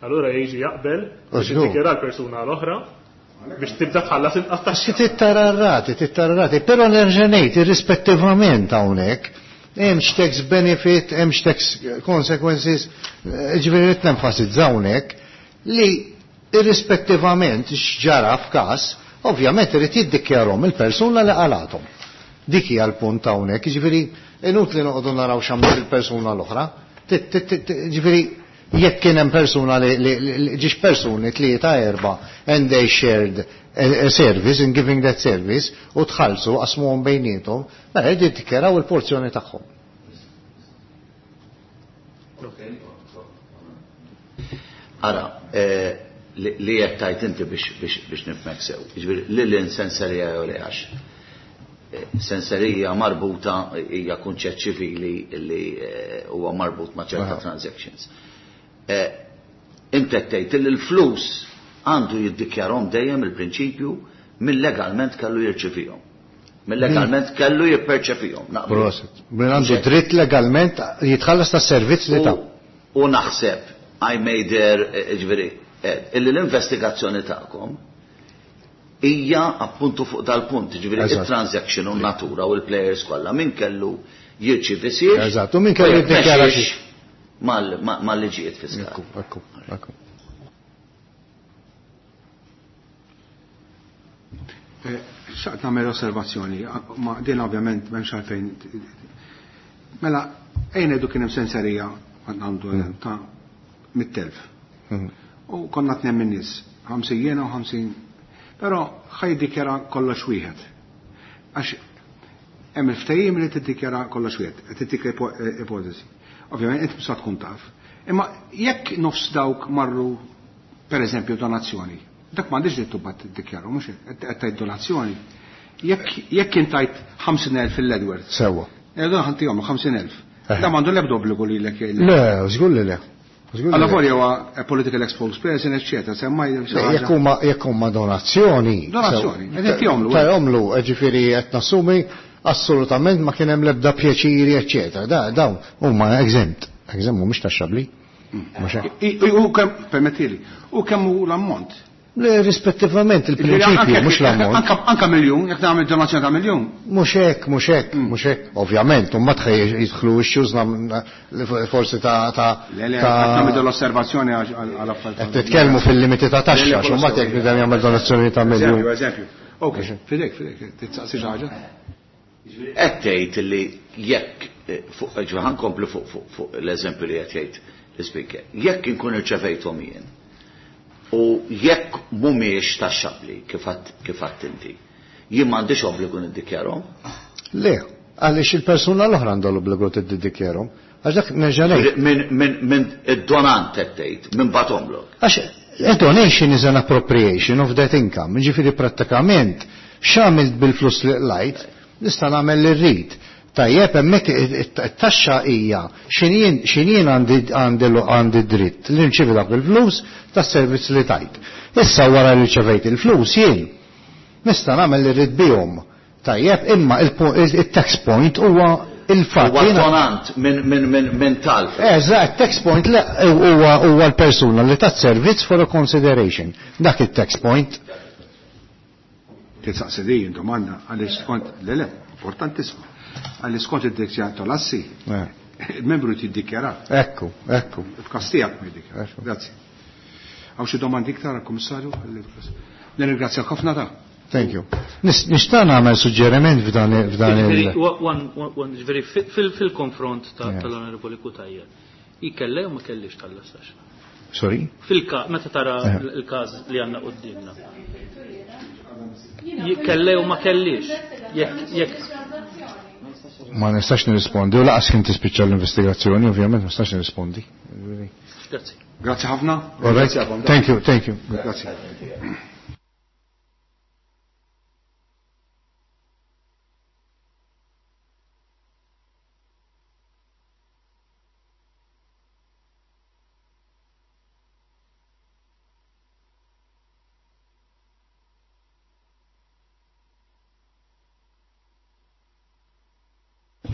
allura jiġi jaqbel U biex żgur. jiddikjara l-persuna l-oħra Biex tibda tħallas inqas taxxa. Tittara r-rati, tittara r-rati, però nerġa' ngħid irrispettivament hawnhekk, hemmx tax benefit, hemmx tax consequences, ġifieri rrid nenfasizza hawnhekk li irrispettivament x'ġara f'każ, ovvjament irid jiddikjarhom il-persuna li qalathom. Dik hija l-punt hawnhekk, jiġifieri inutli noqogħdu naraw x'għamlet il-persuna l-oħra. Ġifieri jekk kien hemm persuna li ġiex persuni tlieta erba' and they shared a service in giving that service u tħallsu qasmuhom bejniethom, mela jridu jiddikjaraw il-porzjoni tagħhom. Ara, li qed tgħid inti biex nifhmek sew. Jiġifieri lil insenserija jew le għax. Senserija marbuta hija kunċett ċivili li huwa marbut ma' ċerta transactions. Inti qed tgħid li l-flus għandu jiddikjarhom dejjem il-prinċipju min legalment kellu jirċivihom. Min legalment kellu jipperċepihom. Prosit. Min għandu dritt legalment jitħallas tas-servizz li ta. U naħseb I made there, ġifieri, illi l-investigazzjoni tagħkom hija appuntu fuq dal-punt, ġifieri il-transaction u natura u l-players kollha min kellu jirċievi siex. Eżatt, u min kellu jiddikjara mal-liġijiet fiskali. Ekku, ekku, ekku. Xaqt nagħmel osservazzjoni, ma din ovvjament m'hemmx għalfejn. Mela, ejn ngħidu kien hemm senserija għandu ta' mit-telf. U konna tnejn min-nies, ħamsin jiena u ħamsin. Però ħaj jiddikjara kollox wieħed. Għax hemm il-ftehim li tiddikjara kollox wieħed, qed tittik ipotesi. Ovvjament inti mhux tkun taf. Imma jekk nofs dawk marru pereżempju donazzjoni, dak m'għandix dritt tibgħat tiddikjaru, mhux qed tgħid donazzjoni. Jekk jekk intajt ħamsin elf fil-Edward. Sewwa. Edu ħantihom ħamsin elf. Da m'għandu l-ebda obbligu lilek jgħidlek. Le, żgur li le. Alla volja huwa political exposed person, eccetera, semmaj jekk huma jekk huma donazzjoni. Donazzjoni, qed jagħmlu. Jagħmlu, ġifieri qed nassumi assolutament ma kien hemm l-ebda pjaċiri, eccetera. Da dawn huma exempt, exempt mhumiex taxxabbli. U kemm permettili, u kemm hu l-ammont? Le, rispettivament il-prinċipju, mhux l-ammont. Anka miljun, jekk nagħmel donazzjoni ta' miljun. Mhux hekk, mhux hekk, mhux hekk. Ovvjament, u mbagħad jidħlu issues forsi ta' ta' Le, le, nagħmel l-osservazzjoni għal affarijiet. Qed titkellmu fil-limiti ta' taxxa, u mbagħad jekk bidem jagħmel donazzjoni ta' miljun. Eżempju, eżempju. Ok, fidek, fidek, titsaqsi xi ħaġa. Qed tgħid li jekk fuq ġo ħankomplu fuq l-eżempju li qed jgħid l-ispeaker. Jekk inkun irċevejthom jien u jekk mhumiex taxxabbli kif għadt inti, jien m'għandix obbligu niddikjarhom? Le, għaliex il-persuna l-oħra għandha l-obbligu tiddikjarhom. Għax dak nerġa' ngħid. Minn id-donant qed tgħid, minn batomlok. Għax a donation is an appropriation of that income. Ġifieri prattikament x'għamilt bil-flus li qlajt, nista' nagħmel li rrid. Tajjeb, hemmhekk it-taxxa hija x'injien għandi dritt li nċivi dak il-flus tas-servizz li tajt. Issa wara li rċevejt il-flus jien nista' nagħmel li rrid bihom. Tajjeb, imma il-tax point huwa il-fatt. Huwa donant minn talf. Eżatt, tax point huwa l-persuna li tat servizz for a consideration. Dak il-tax point. Titsaqsi din domanda għaliex skont le le, importantissima. Għalli skont id-dikjara tal-assi, il-membru tiddikjara. Ekku, ekku. F'każ tiegħek ma jiddikjara. Grazzi. Hawn xi domandi iktar għall-Kummissarju? Nirringrazzjak ħafna ta' Thank you. Nixtaq nagħmel suġġeriment f'dan il. Ġifieri fil-konfront tal-Onorevoli Cutajar, hi kellha jew ma kellix tħallas taxxa? Sorry? Fil-każ meta tara l-każ li għandna quddiemna. Kellha jew ma kellix? Jekk jekk ma nistax nirrispondi, u laqas kien tispiċċa l-investigazzjoni, ovvjament ma nistax nirrispondi. Grazzi. Grazzi ħafna. All right. Thank you, thank you. Grazzi.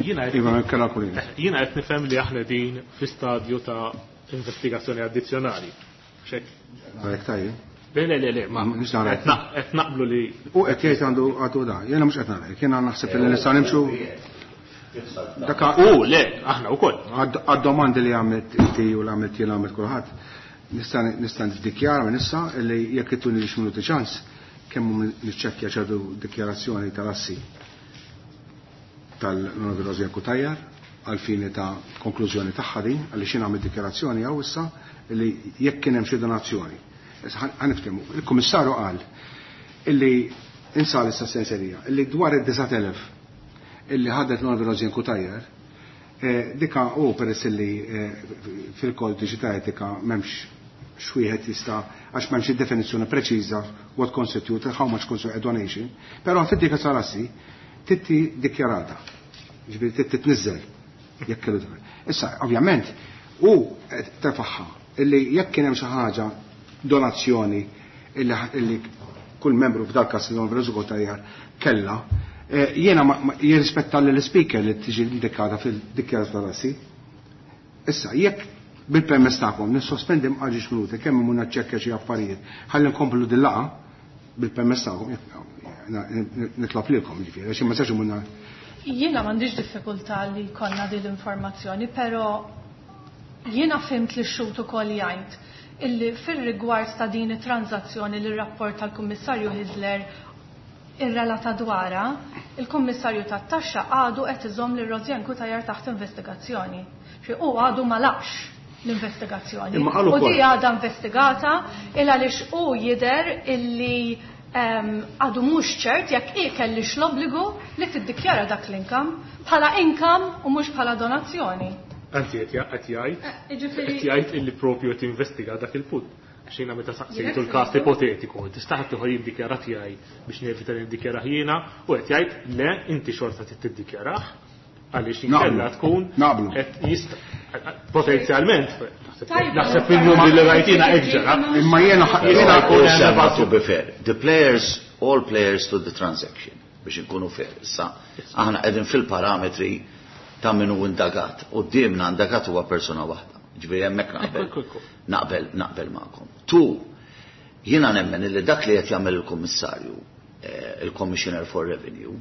Jiena qed nifhem li aħna din fi stadju ta' investigazzjoni addizzjonali. Xek. Le, le, le, le, ma qed naqblu li. U qed jgħid għandu għadu da, jiena mhux qed nagħlek, jiena naħseb li nistgħu nimxu. U le, aħna wkoll. Għad-domandi li għamilt inti u li għamilt jien għamilt kulħadd, nista' niddikjara minn issa li jekk ittuni lix minuti ċans kemm niċċekkja ċertu dikjarazzjoni tal-assi tal-Onorevoli Rosianne Cutajar għal fini ta' konklużjoni tagħha din, għaliex jien għamilt dikjarazzjoni hawn issa li jekk kien hemm xi donazzjoni. Ħaniftehmu, il-Kummissarju qal illi insal issa senserija, illi dwar id-disat elef illi ħadet l-Onorevoli Rosianne Cutajar, dika u peress illi fil-kodiċi ta' etika m'hemmx xwieħed jista' għax m'hemmx id-definizzjoni preċiża what constitute, how much constitute a donation, però fid-dika tal-assi titti dikjarata, ġifieri titti tniżżel jekk kellu tifel. Issa, ovvjament, u tefaħħa illi jekk kien hemm xi ħaġa donazzjoni illi kull membru f'dal każ l-Onorevoli Cutajar kellha, jiena jirrispetta l-speaker li tiġi indikata fil-dikjarazzjoni tal-assi. Issa, jekk bil-permess tagħkom nissospendi mqaġġ minuti kemm imur naċċekkja xi affarijiet, ħalli nkomplu din laqgħa bil-permess tagħkom, nitlob lilkom ġifieri, għax ma nistax imur. Jiena m'għandix diffikultà li jkollna din l-informazzjoni, però jiena fimt li x-xhud ukoll jgħid illi fir-rigward ta' din it-transazzjoni li r-rapport tal-Kummissarju Hyzler irrelata dwarha, il-Kummissarju tat-Taxxa għadu qed iżomm lil Rosianne Cutajar taħt investigazzjoni. Xi hu għadu ma laqx l-investigazzjoni. U di għadha investigata il għaliex hu jidher illi għadu mhux ċert jekk hi kellix l-obbligu li tiddikjara dak l-income bħala income u mhux bħala donazzjoni. Anzi qed jgħid qed jgħid illi propju qed investiga dak il-punt. Għax jiena meta saqsejtu l-każ ipotetiku, tista' ħadd ieħor jiddikjara tiegħi biex nevita li niddikjarah jiena u qed jgħid le inti xorta trid tiddikjarah għaliex inkella tkun qed jista' potenzjalment naħseb il-numri li rajtina hekk ġara. Imma jiena jiena jiena to be fair, the players, all players to the transaction biex inkunu fair. Issa aħna qegħdin fil-parametri ta' min hu indagat. Quddiemna indagat huwa persuna waħda. Ġifieri hemmhekk naqbel. Naqbel, naqbel magħkom. Tu, jiena nemmen li dak li qed jagħmel il-Kummissarju, il-Commissioner for Revenue,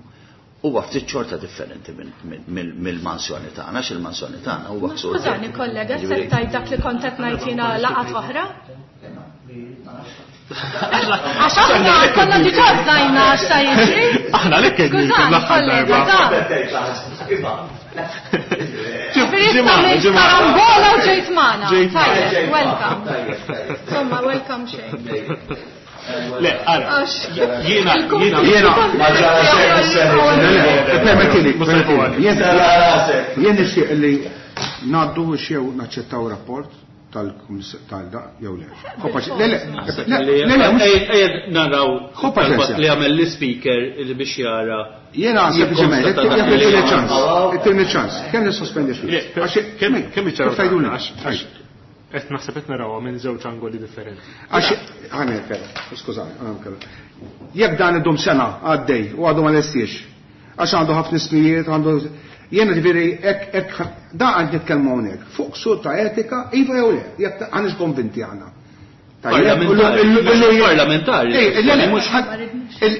huwa ftit xorta differenti mill-mansjoni tagħna, għax il-mansjoni tagħna huwa ksur. Skużani kollega, se tgħid dak li kont qed ngħid jiena laqgħat oħra? Għax aħna konna diġà żajna x'ta jiġri. Aħna lek Skużani kollega, Ġifieri karambola u ġejt magħna. Tajjeb, welcome. Insomma, welcome xejn. Le, ara, jiena, jiena, jiena, ma ġara xejn, permettili, jien nixtieq li ngħaddu xew naċċettaw rapport tal-da jew le. Le, le, le, naraw li għamel l-speaker li biex jara. Jiena sempliċement, jekk ċans, ittini ċans, kemm nissospendi xi. Kemm iċċaraw? Qed naħseb qed narawha minn żewġ angoli differenti. Għax ħaner kella, skużani, ħaner kella. Jekk dan idum sena għaddej u għadu ma lestiex, għax għandu ħafna ismijiet, għandu jiena ġifieri hekk hekk da għand nitkellmu hawnhekk fuq ksur ta' etika iva jew le, jekk għandix konvinti aħna. Parlamentari. Mhux qed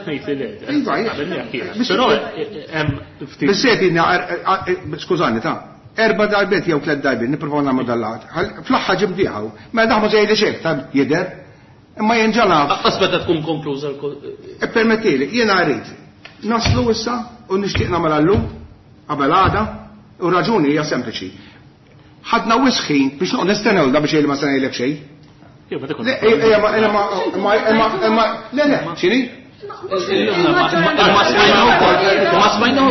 ngħid li le. Però hemm ftit. Bissiet skużani ta' erba darbiet jew tliet darbiet nippruvaw nagħmlu dal-lat. Fl-aħħar ġib diħaw. Mela daħmu żejli xejn ta' jidher. Imma jien ġa naf. Aqqas meta tkun konkluża l Ippermettili, jiena rrid naslu issa u nixtieq nagħmel llum qabel għada u raġuni hija sempliċi. Ħadna wisħin biex noqgħod nistennew da biex jgħid ma se ngħidlek xejn. Le, ma le, le, x'inhi? Ma smajna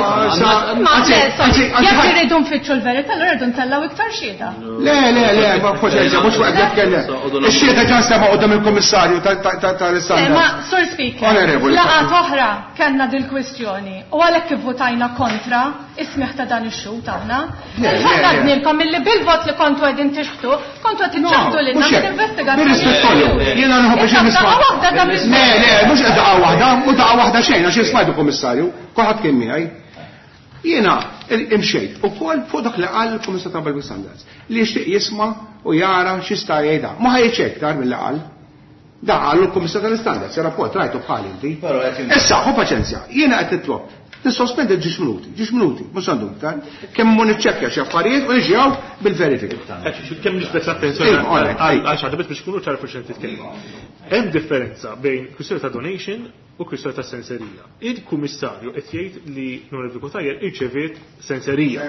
Ma jekk irridu nfittxu l-verità, allura rridu ntellgħu iktar xhieda. Le, le, le, ma forsi mhux waqt jitkellem. Ix-xhieda ġan sema' qudiem il-Kummissarju tal-Istandard. Ma Sur Speaker, laqgħat oħra kellna dil-kwistjoni u għalhekk ivvutajna kontra is-smigħ ta' dan ix-xhud aħna. Għadnilkom illi bil-vot li kontu qegħdin tixħtu, kontu qed iċċaħdu lilna mill-investigazzjoni. Jiena nħobb biex nisma'. Le, le, mhux qed daqqa waħda, u daqqa waħda xejn għax smajtu Kummissarju, kulħadd kien miegħi. Jiena imxejt ukoll fuq dak li qal il-Kummissarju ta' Public Standards li jixtieq jisma' u jara x'jista' jgħidha. Ma ħajġ iktar milli qal. Da għallu l-Kummissar tal-Istandards, rapport rajtu bħal inti. Issa, ħu paċenzja, jiena qed nitlob. Nissospendi ġiex minuti, ġiex minuti, mhux għandu iktar, kemm mu niċċekkja xi affarijiet u niġi hawn bil-verifika. Kemm niġbed l-attenzjoni għal xi ħaġa biex kunu ċar fuq xejn titkellmu. Hemm differenza bejn kwistjoni ta' donation u kwistjoni ta' senserija. Il-kummissarju qed jgħid li l-Onorevoli Cutajar irċeviet senserija.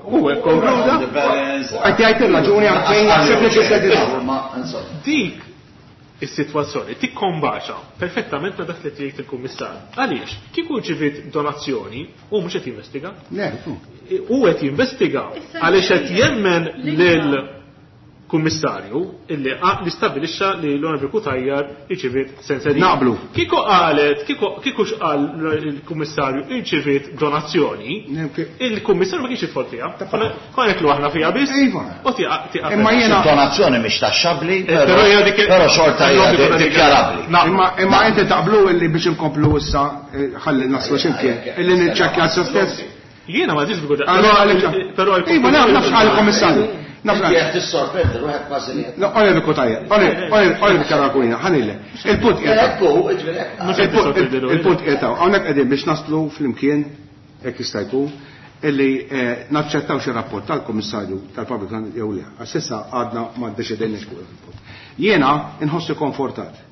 Huwa konkluda. Qed jgħid ir-raġuni għalfejn jaħseb li Dik is-sitwazzjoni tikkombaċa perfettament ma' dak li tgħid il-kummissar. Għaliex, kieku rċiviet donazzjoni hu mhux qed jinvestiga? Le, hu qed jinvestiga għaliex qed jemmen lil kummissarju illi li stabbilixxa li l-Onorevoli Cutajar irċiviet senserija. Naqblu. Kieku qalet, kieku x'qal il-kummissarju irċiviet donazzjoni, il-kummissarju ma kienx jidħol fiha. Konna neklu aħna fiha biss. Iva. U tieqa'. Imma jiena donazzjoni mhix taxxabbli, però xorta hija dikjarabbli. Imma imma inti taqblu illi biex inkomplu issa ħalli naslu x'imkien illi niċċekkja sa stess. Jiena ma ġiex bigħu. Però Iva, naf għall-kummissarju. Nafra. Jek tissorprendi ruħek kważi li. No, Onorevoli Cutajar, Onorevoli Caracuina, ħanille. Il-punt qiegħed. Il-punt qiegħed hawnhekk qegħdin biex naslu flimkien hekk jista' jkun illi naċċettaw xi rapport tal-Kummissarju tal-Public jew le. Għax issa għadna ma ddeċidejniex fuq il-punt. Jiena inħossi konfortat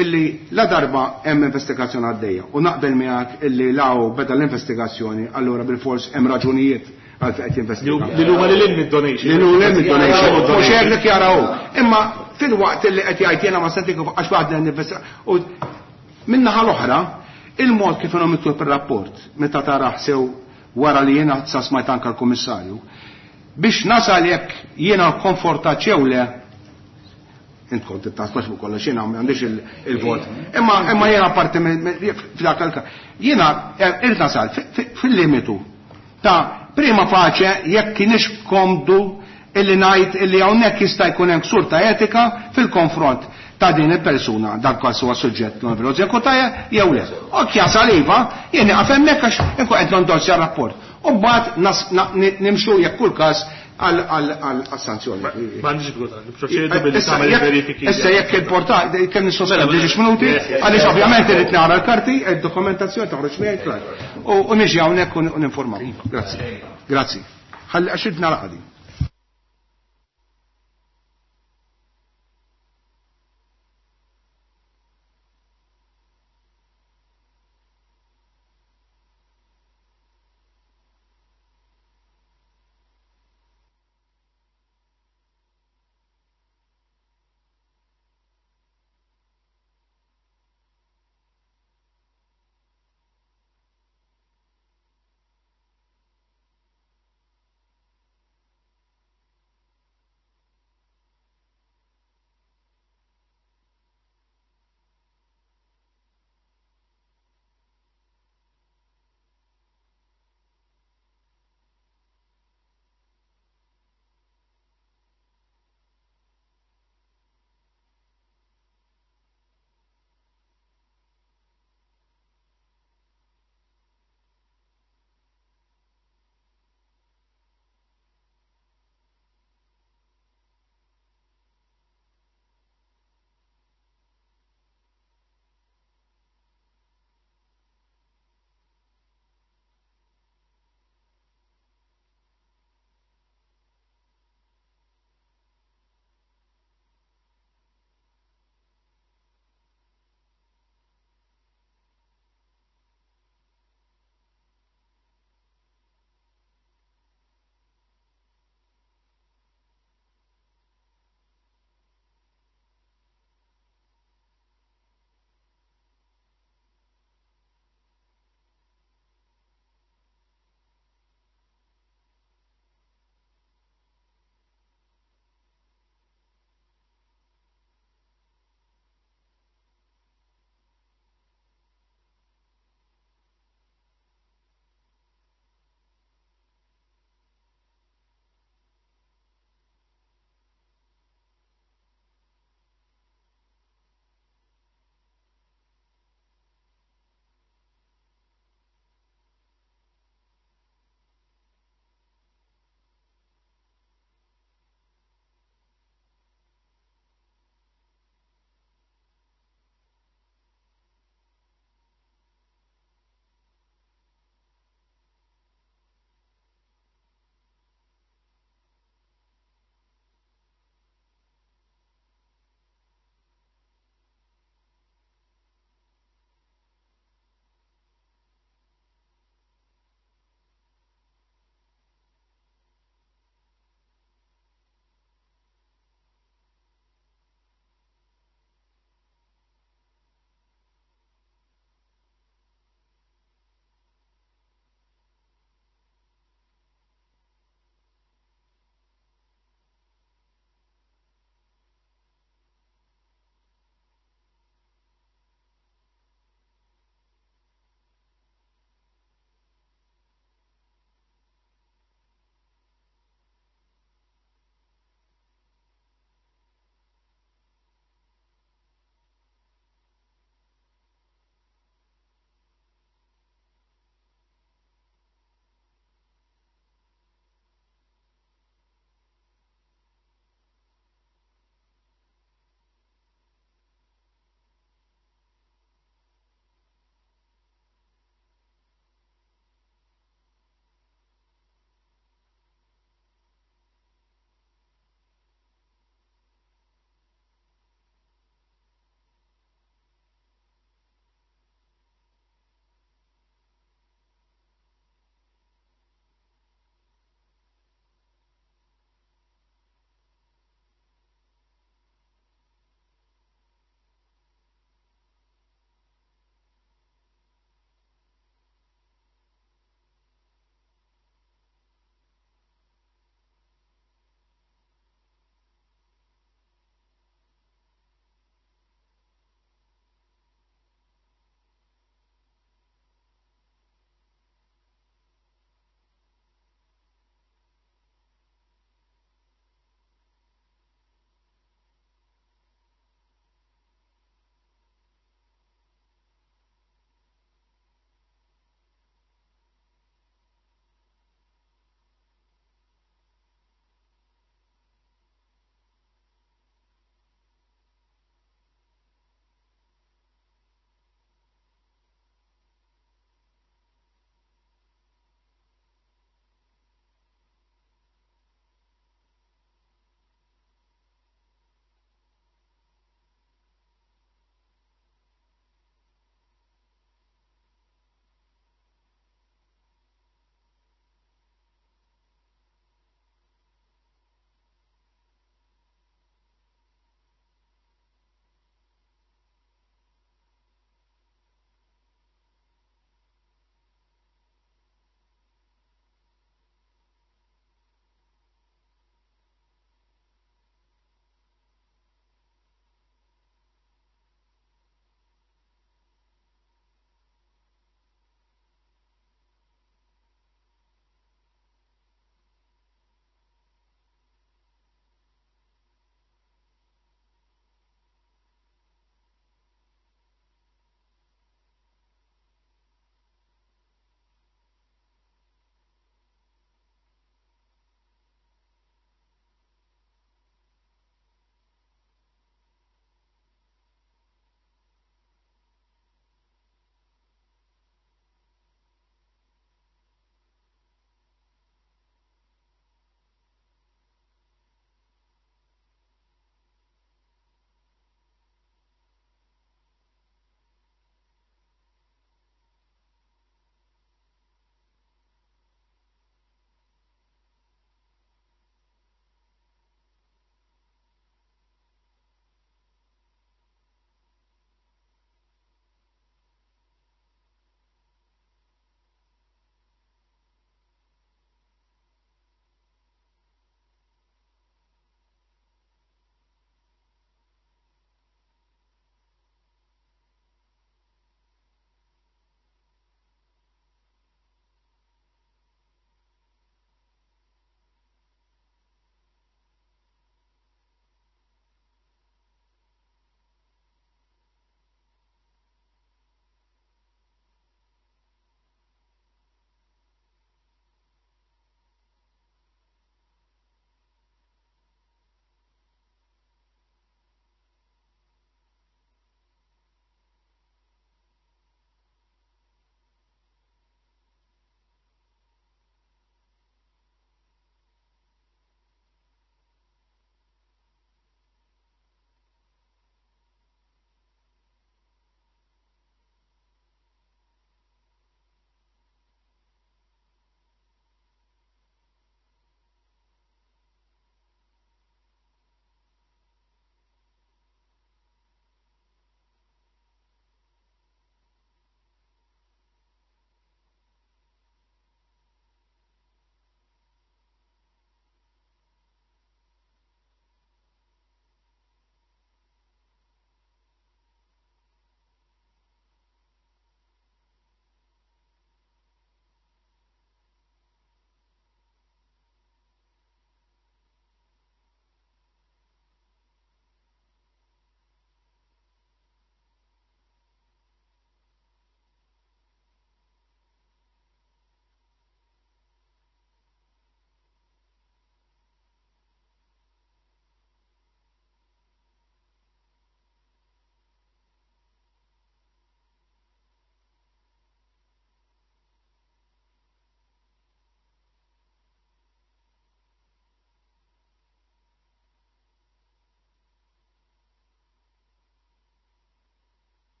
illi la darba hemm investigazzjoni għaddejja u naqbel miegħek illi law beda l-investigazzjoni allura bil-fors hemm raġunijiet għal qed jinvestiga. Li huma lil hinn mid-donation. Li huma lil mid-donation. Mhux hekk li jaraw. Imma fil-waqt li qed jgħid jiena ma senti għax waħda ninvestiga. U min-naħa l-oħra, il-mod kif inhom miktub ir-rapport meta taraħ sew wara li jiena sa smajt anke l-Kummissarju, biex nasal jekk jiena konfortat jew le, int kont tittasbax fuq kollox jiena m'għandix il-vot. Imma imma jiena parti f'dak il jiena irid nasal fil-limitu ta' prima faċe jekk kienx komdu illi ngħid illi hawnhekk jista' jkun hemm ksur ta' etika fil-konfront ta' din il-persuna dak każ huwa suġġett l-Onorevoli Cutajar jew le. Ok jasal iva, jien nieqaf hemmhekk għax inkun qed nondorsja rapport. U mbagħad nimxu jekk kull każ għal sanzjoni. M'għandix bżonn, nipproċedu billi tagħmel verifiki. Issa jekk il-portal kemm nissospendi ġiex minuti, għaliex ovvjament irid nara l-karti, id-dokumentazzjoni toħroġ miegħi klar. U niġi hawnhekk u ninformaw. Grazzi. Grazzi. Ħalli għax irid nara qadi.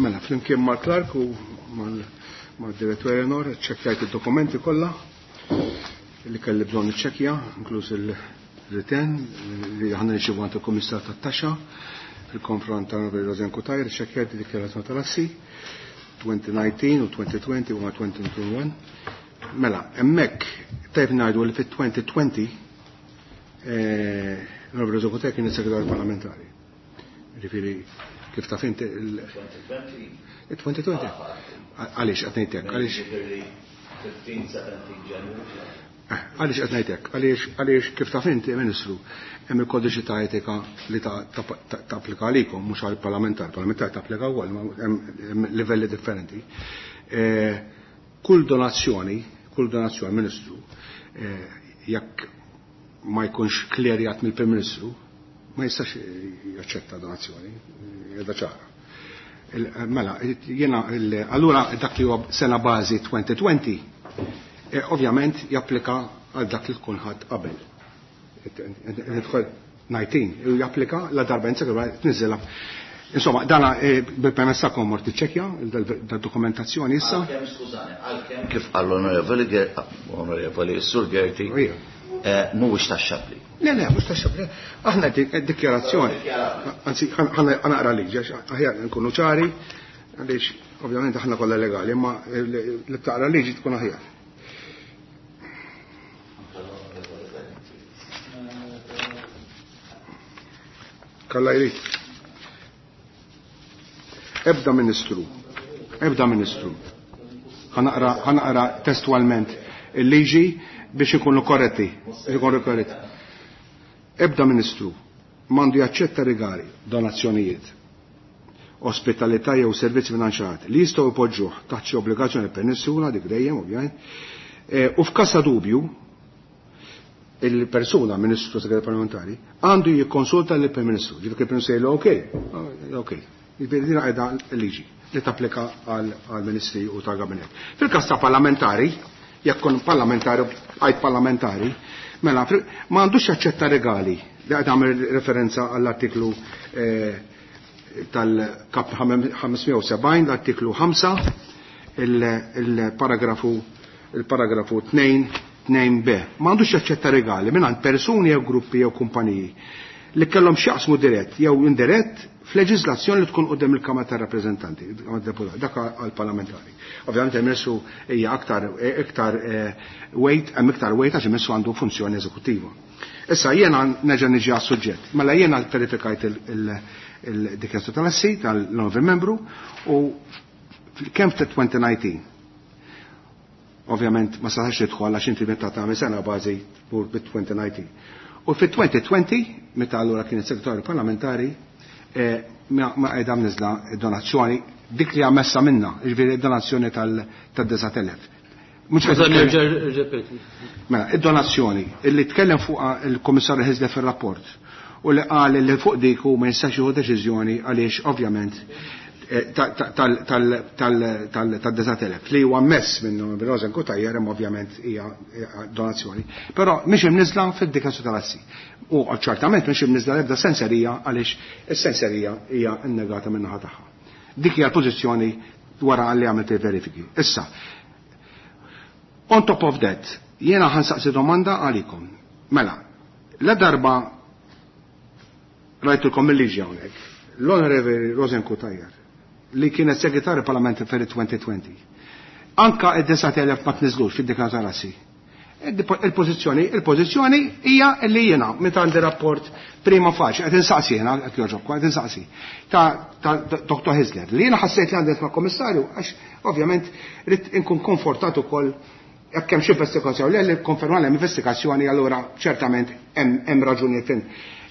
Mela, flimkien mal-Clark u mal-Direttur Eleanor, ċekkjajt id-dokumenti kollha li kelli bżonn niċċekkja, inkluż il-return li aħna nirċievu għand il-Kummissar tat-Taxxa fil-konfront ta' Rosianne Cutajar, ċekkjajt id-dikjarazzjoni tal-assi twenty nineteen u twenty twenty u twenty twenty-one. Mela, hemmhekk tajb ngħidu li fit-twenty twenty eh, Robert Rosianne Cutajar kien is-segretarju parlamentari. Ġifieri kif taf inti il-twenty twenty. twenty twenty. Għaliex qed ngħidlek, għaliex fifteen seventeen January. Għaliex qed ngħidlek, għaliex għaliex kif taf inti, Ministru, hemm il-kodiċi ta' etika li tapplika għalikom, mhux għall-parlamentar, parlamentar tapplika wkoll, hemm livelli differenti. Kull donazzjoni, kull donazzjoni, Ministru, jekk ma jkunx klerjat mill-Prim Ministru, ma jistax jaċċetta donazzjoni, jedha ċara. Mela, jena, allura dak li huwa sena bażi twenty twenty, ovvjament japplika għal dak li tkun ħadd qabel. nineteen, japplika la darba insa tniżilha. Insomma, dana bil-permess tagħkom mort iċċekkja da-dokumentazzjoni issa. Għalkemm, skużani, għalkemm kif qal l-onorevoli onorevoli Sur Gerti, mhuwiex taxxabbli. Le, le, mhux taxxabbli. Aħna dikjarazzjoni. Anzi, ħa naqra liġi, aħjar nkunu ċari, għaliex ovvjament aħna kollha legali, imma li taqra liġi tkun aħjar. Kalla jrid. Ebda ministru, ebda ministru. Ħa naqra testualment il-liġi biex ikunu korretti, ikunu korretti. Ebda ministru m'għandu jaċċetta regali, donazzjonijiet, ospitalità jew servizzi finanzjati li jistgħu jpoġġuh taħt xi obbligazzjoni persuna dik dejjem ovvjament, u f'każ ta' dubju il-persuna, ministru, segretarju parlamentari, għandu jikkonsulta l-Prim Ministru. Ġifieri il-Prim Ministru jgħidlu ok, ok. Ġifieri din qiegħda l-liġi li tapplika għal ministri u tal-gabinet. Fil-każ ta' parlamentari, jekk kun parlamentari, għajt parlamentari, mela ma għandux jaċċetta regali li qed għamel referenza għall-artiklu tal-kap ħames mija u sebgħin, l-artiklu ħamsa, il-paragrafu il-paragrafu tnejn tnejn B. Ma għandux jaċċetta regali minn persuni jew gruppi jew kumpaniji li kellhom x'jaqsmu dirett jew indirett f'leġiżlazzjoni li tkun quddiem il-Kamra tar-Rappreżentanti, dak għall-parlamentari. Ovvjament il-Ministru hija aktar iktar weight, hemm iktar weight għax il-Ministru għandu funzjoni eżekuttiva. Issa jiena nerġa' niġi għas-suġġett. Mela jiena verifikajt il-dikjarazzjoni tal-assi tal-novi membru u kemm fit-twenty nineteen. Ovvjament ma setax tidħol għax inti meta tagħmel sena bażi tmur bit-twenty nineteen. U fit-twenty twenty, meta allura kien is-segretarju parlamentari, ma qiegħda mniżla donazzjoni dik li ammessa minna, jiġifieri donazzjoni tad-disat elef. Mela, id-donazzjoni illi tkellem fuq il-Kummissarju Hyzler fir-rapport u li qal li fuq dik hu ma jistax jieħu deċiżjoni għaliex ovvjament tad-disat elef li huwa ammess minnu Rosianne Cutajar, hemm ovvjament hija donazzjoni. Però mhix imniżla fid-dikjarazzjoni tal-assi. U ċertament mhix imniżla l-ebda senserija għaliex is-senserija hija innegata min-naħa tagħha. Dik hija l-pożizzjoni wara li għamilt il-verifiki. Issa, on top of that, jiena ħa nsaqsi domanda għalikom. Mela, la darba rajtulkom il-liġi hawnhekk, l-Onorevoli Rosianne Cutajar, li kienet segretarju parlamentari fil twenty twenty. Anka id-disat elef ma tniżlux fid-dikjarazzjoni tal-assi. Il-pożizzjoni, il-pożizzjoni hija li jiena meta għandi rapport prima facie, qed insaqsi jiena, qed jogħġobkom, qed insaqsi ta' Doctor Hyzler, li jiena ħassejt li għandi ma' kommissarju għax ovvjament rrid inkun konfortat ukoll jekk hemm xi investigazzjoni, li konferma hemm investigazzjoni, allura ċertament hemm raġunijiet fin.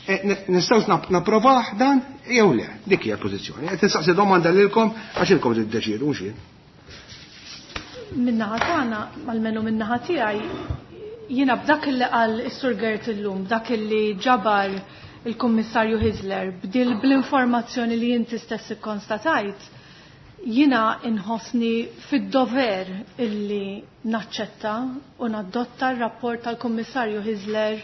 Nistgħu napprovah dan jew le, dik hija l-pożizzjoni. Qed insaqsi domanda lilkom għax ilkom tiddeċiedu, mhux jien. Min-naħa tagħna, almenu min-naħa tiegħi, jiena b'dak li qal is-Sur Gert illum, b'dak li ġabar il-Kummissarju Hyzler, bdil bl-informazzjoni li inti stess ikkonstatajt, jiena inħossni fid-dover illi naċċetta u nadotta r-rapport tal-Kummissarju Hyzler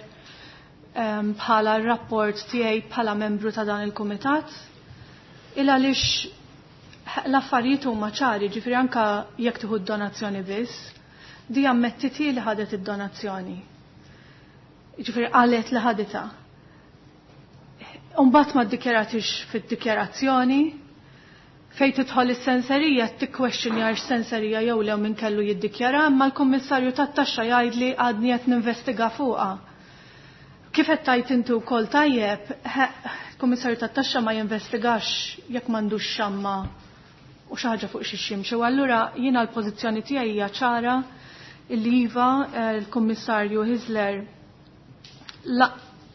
bħala r-rapport tiegħi bħala membru ta' dan il-kumitat. Il għaliex L-affarijiet huma ċari, ġifieri anke jekk tieħu d-donazzjoni biss, di ammettiti li ħadet id-donazzjoni. Ġifieri qalet li ħaditha. Umbagħad ma ddikjaratix fid-dikjarazzjoni, fejn tidħol is-senserija tikkwestjonja x-senserija jew le min kellu jiddikjara, imma l-Kummissarju tat-taxxa jgħidli għadni qed ninvestiga fuqha. Kif qed tgħid inti wkoll tajjeb, il-Kummissarju tat-taxxa ma jinvestigax jekk m'għandux xamma u xi ħaġa fuq xi ximxi. U allura jiena l-pożizzjoni tiegħi hija ċara illi iva l-Kummissarju Hyzler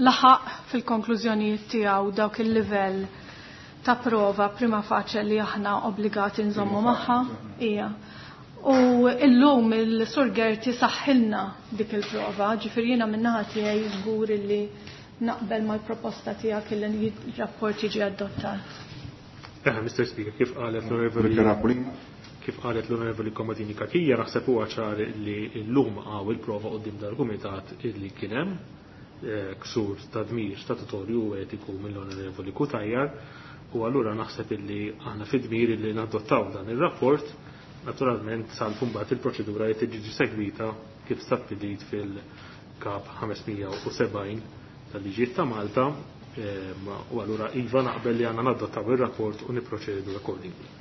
laħaq fil-konklużjonijiet tiegħu dawk il-livell ta' prova prima facie li aħna obbligati nżommu magħha. Ija. U illum il-Sur Gerti saħħilna dik il-prova, ġifieri jiena min-naħa tiegħi żgur illi naqbel mal-proposta tiegħek illi r-rapport jiġi adottat. Eh, Mister Speaker, kif qalet l-Onorevoli kif qalet l-Onorevoli Comodini Cachia, naħseb huwa ċar li llum hawn il-prova quddiem dal-kumitat illi kien hemm ksur ta' dmir statutorju u etiku mill-Onorevoli Cutajar, u allura naħseb illi aħna fid-dmir illi nadottaw dan ir-rapport, naturalment salfu mbagħad il-proċedura li tiġi segwita kif stabbilit fil-kap ħames mija u sebgħin tal-liġijiet ta' Malta, u allura iva naqbel li għandna nadottaw ir-rapport u niproċedu accordingly.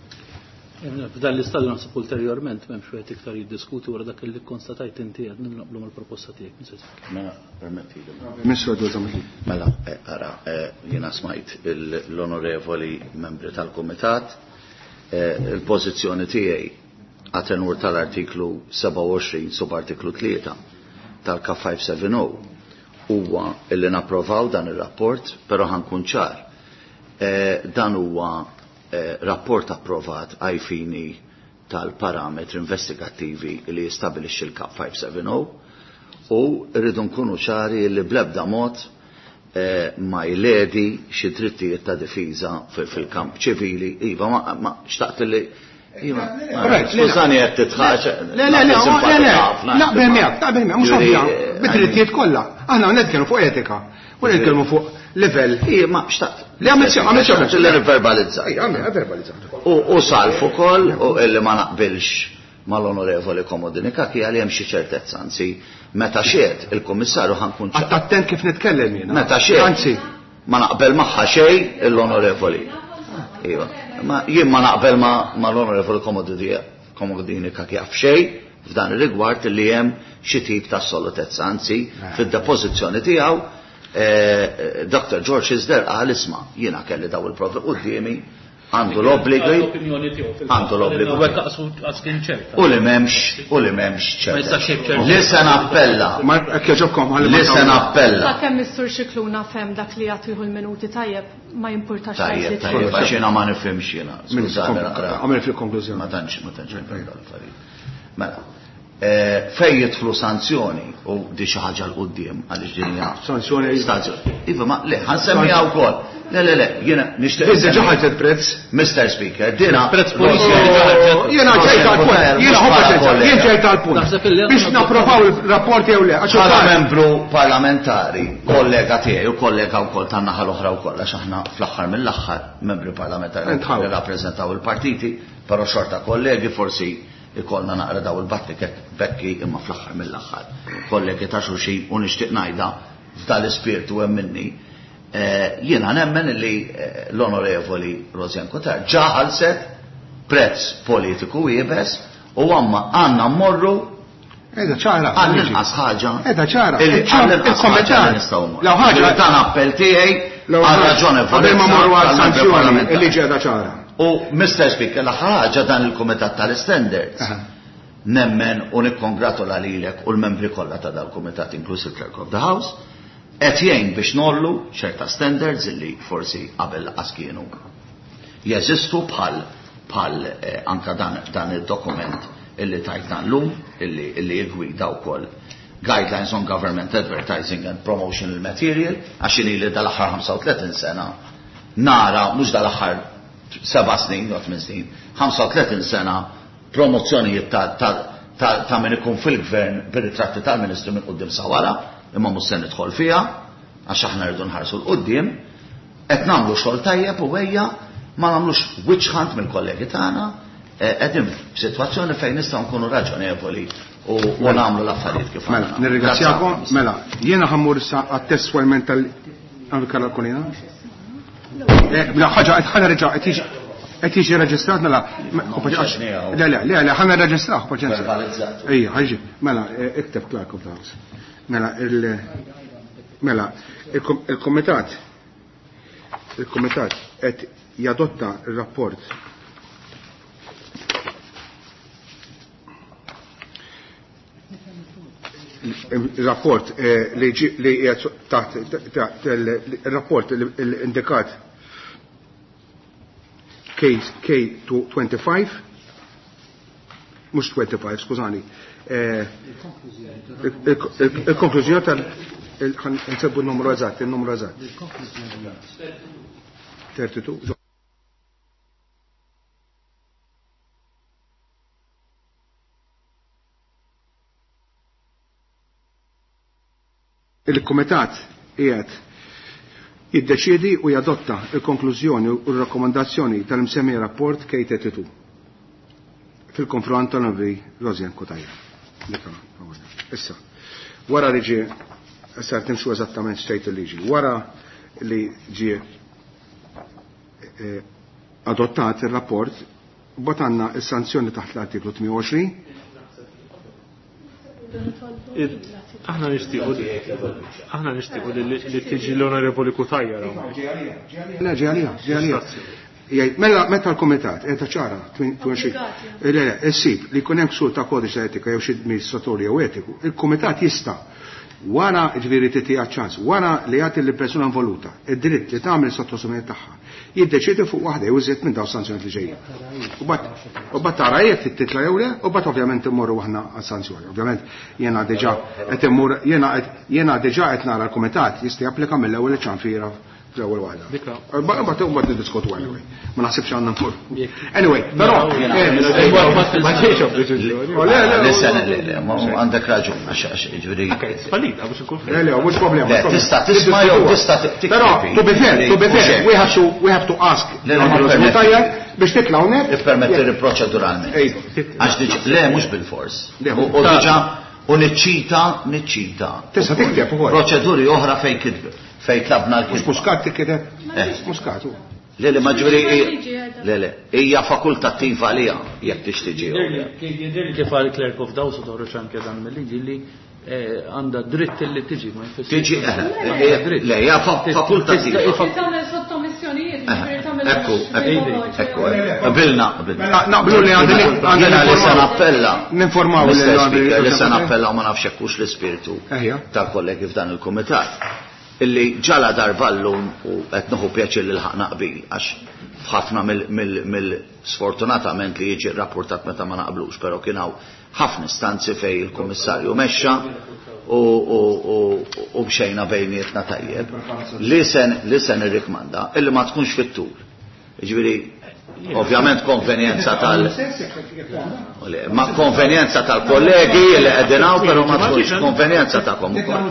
F'dan l-istadju naħseb ulterjorment m'hemmx wieħed iktar jiddiskuti wara dak li konstatajt inti qed naqblu mal-proposta tiegħek. Mister Speaker. Mela, permettili. Ministru Edward. Mela, ara, jiena smajt l-onorevoli membri tal-Kumitat, il-pożizzjoni tiegħi għatenur tal-artiklu sebgħa u għoxrin subartiklu tlieta tal-K ħamsa seba' huwa illi napprovaw dan ir-rapport, però ħankun ċar. Dan huwa rapport approvat ai fini tal-parametri investigattivi li jistabilixxi l-Kap ħamsa seba' u rridu nkunu ċari li bl-ebda mod ma jledi xi drittijiet ta' difiża fil-kamp ċivili. Iva, ma xtaqt li Iva, skużani qed titħaġ. Le, le, le, le, le, naqbel miegħek, naqbel miegħek, mhux ovvja, bid-drittijiet kollha. Aħna nitkellmu fuq etika, u nitkellmu fuq livell. Ija, ma xtaqt. Li għamil sew, għamil sew. Li verbalizzat. Ija, għamil verbalizzat. U salf ukoll, u illi ma naqbilx mal-Onorevoli Comodini Cachia li hemm xi ċertezza, anzi, meta xiet il-Kummissarju ħankun ċar. Għadd attent kif nitkellem jiena. Meta xiet. Anzi. Ma naqbel magħha xejn l-Onorevoli. Iva. Ma jien ma naqbel ma l-Onorevoli Comodini Cachia f'xejn f'dan ir-rigward li hemm xi tip ta' assolutezza, anzi, fid-depożizzjoni tiegħu Doctor George Hyzler qal isma' jiena kelli daw il-provi quddiemi, għandu l-obbligi, għandu l-obbligu. U li m'hemmx, u li m'hemmx ċerta. Li se nappella. Li se nappella. Sakemm Mister Scicluna fem dak li jagħtihu l-minuti tajjeb, ma jimpurtax. Tajjeb, tajjeb, għax jiena ma nifhimx jiena. Skużani naqra. Għamel fil-konklużjoni. Ma tantx, ma tantx nifhem dal-affarijiet. Mela, fej jidħlu sanzjoni u di xi ħaġa l quddiem għaliex din hija sanzjoni. Sanzjoni. Iva, ma le, ħansemmiha wkoll. Le, le, le, jiena nixtieq. Iżda ġo ħarġet prezz. Mister Speaker, dina prezz politiku. Jiena ġejt għall-punt. Jiena ħobba jien ġejt għall-punt. Biex napprovaw il-rapport jew le. Bħala membru parlamentari, kollega tiegħi u kollega wkoll tan-naħa l-oħra wkoll, għax aħna fl-aħħar mill-aħħar membri parlamentari li rappreżentaw il-partiti, però xorta kollegi forsi ikollna naqra daw il-battiket bekki imma fl-aħħar mill-aħħar. Kollegi ta' xulxin u nixtieq ngħidha f'dal-ispirtu hemm minni. Jiena nemmen li l-Onorevoli Rosianne Cutajar ġa ħallset prezz politiku iebes u għamma għandna mmorru Eda ċara. Għall-inqas ħaġa. Eda ċara. Għall-inqas ħaġa li nistgħu mmorru. Law ħaġa. Dan appell tiegħi għal raġonevolezza. Qabel ma mmorru għal sanzjoni, il-liġi qiegħda ċara. U Mister Speaker, l-aħħar ħaġa dan il-Kumitat tal-Standards. Nemmen u nikkongratula lilek u l-membri kollha ta' dal-Kumitat, inkluż il-Clerk of the House, qed jgħin biex nollu ċerta standards illi forsi qabel laqas kienu jeżistu bħal, bħal anka dan, dan id-dokument illi tajtna llum, illi, illi jgwida wkoll Guidelines on Government Advertising and Promotional Material, għax ili dal-aħħar ħamsa u tletin sena nara, mhux dal-aħħar seba' snin, jew tmien snin, ħamsa u tletin sena promozzjonijiet ta', ta, ta, ta' min ikun fil-gvern bir-ritratti tal-Ministru minn quddiem sa wara, imma mhux se nidħol fiha, għax aħna rridu nħarsu l quddiem, qed nagħmlu xogħol tajjeb u ejja Ma nagħmlux witch hunt mill-kollegi tagħna, qegħdin f'sitwazzjoni fejn nistgħu nkunu raġonevoli u nagħmlu l-affarijiet kif Mela, nirringrazzjakom. Mela, jiena ħammur issa għat-testwalment tal-Karla Kolina. Mela, ħaġa qed ħana reġa' qed jiġi qed jiġi reġistrat mela le le le le ħana reġistraw paċenza. Ejja, ħaġi. Mela, ikteb Clark of the House. Mela, il mela, il-Kumitat il-Kumitat qed jadotta il-rapport il-rapport li li taħt il-rapport indikat K twenty-five mhux twenty-five skużani il-konklużjoni tal nsebbu n-numru eżatt il-numru eżatt thirty-two. Il-Kumitat qiegħed jiddeċiedi u jadotta il-konklużjoni u r-rakkomandazzjoni tal-imsemmi rapport K thirty-two fil-konfront tal-Onorevoli Rosianne Cutajar. Issa, wara li ġie, issa timxu eżattament x'tgħid il-liġi, wara li ġie adottat il-rapport, bot għandna s-sanzjoni taħt l-artiklu tmien u għoxrin. Aħna nixtiequ aħna nixtiequ li tiġi l-Onorevoli Cutajar. Le, ġi għalija, ġi għalija. Mela meta l-Kumitat qiegħda ċara le le issib li jkun hemm ksur ta' kodiċi ta' etika jew xi amministratorju jew etiku, il-Kumitat jista' wara ġifieri titiha ċans, wara li jagħti lill persuna involuta id-dritt li tagħmel sottosummjoni tagħha, jiddeċiedi fuq waħda jew iżjed minn dawn sanzjonijiet li ġejjin. U bat tara jekk titla' jew le, u bat ovvjament immorru aħna għas-sanzjoni. Ovvjament jiena diġà qed immur jiena jiena diġà qed nara l-kumitat jista' japplika mill-ewwel ċanfira fl-ewwel waħda. Mbagħad mbagħad niddiskutu anyway. Ma naħsibx għandna nmur. Anyway, però ma ġiex le le għandek raġun għax ġifieri. Fallita biex inkun Le le mhux problema. Tista' tisma' jew tista' tikteb. Però to be fair, to be fair, we have to we have to ask biex titla' hawnhekk. Ippermetti proċeduralment. Għax diġà le mhux bil-fors. U diġà u niċċita niċċita. Tista' tikteb ukoll. Proċeduri oħra fejn kitbu. Fej tlabna l-kitba. Mhux Muscat tikkiteb? Muscat hu. Le le ma ġifieri le le hija fakultattiva għaliha jekk tixtiġi. Jidher kif għal Clerk of Dawes u toħroġ anke dan mill-liġi li għandha dritt li tiġi ma jfissirx. Tiġi le hija fakultattiva. Tagħmel sottomissjonijiet, ġifieri tagħmel. Ekku, ekku, qabilna, qabilna. Naqblu li għandna li se nappella. Ninformaw li se nappella u ma nafx hekk hux l-ispirtu tal-kollegi f'dan il-kumitat. Illi ġala darba llum u qed nieħu pjaċir li lħaqna qbil għax f'ħafna mill-sfortunatament li jiġi rrapportat meta ma naqblux, però kien hawn ħafna istanzi fejn il-Kummissarju mexxa u mxejna bejnietna tajjeb li sen li sen irrikmanda illi ma tkunx fit-tul. Jiġifieri ovvjament konvenjenza tal ma konvenjenza tal-kollegi li qegħdin hawn, però ma tkunx konvenjenza tagħkom ukoll.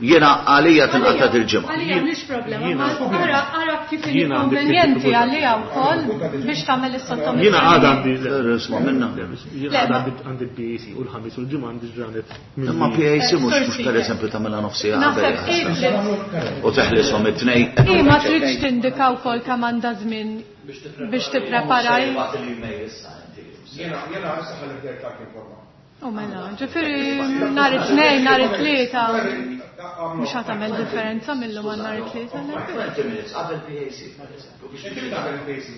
Jiena għalija tinqata' dil-ġimgħa. Għalija mhix problema, ma ara ara kif inkonvenjenti għalija wkoll biex tagħmel is-sottomissjoni. Jiena għadha għandi isma' minna. Jiena għadha għandi P A C u l-ħamis u l-ġimgħa għandi ġranet. Imma P A C mhux mhux pereżempju tagħmilha nofsija qabel u teħlishom it-tnejn. I ma tridx tindika wkoll kemm għandha żmien biex tippreparaj. Jiena jiena issa ħalli bdejt dak informa. U mela, ġifieri nhar it-tnejn, nhar it-tlieta mhux ħa tagħmel differenza mill-lum għal nhar it-tlieta. twenty minutes qabel P A C pereżempju biex qabel P A C.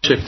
Xek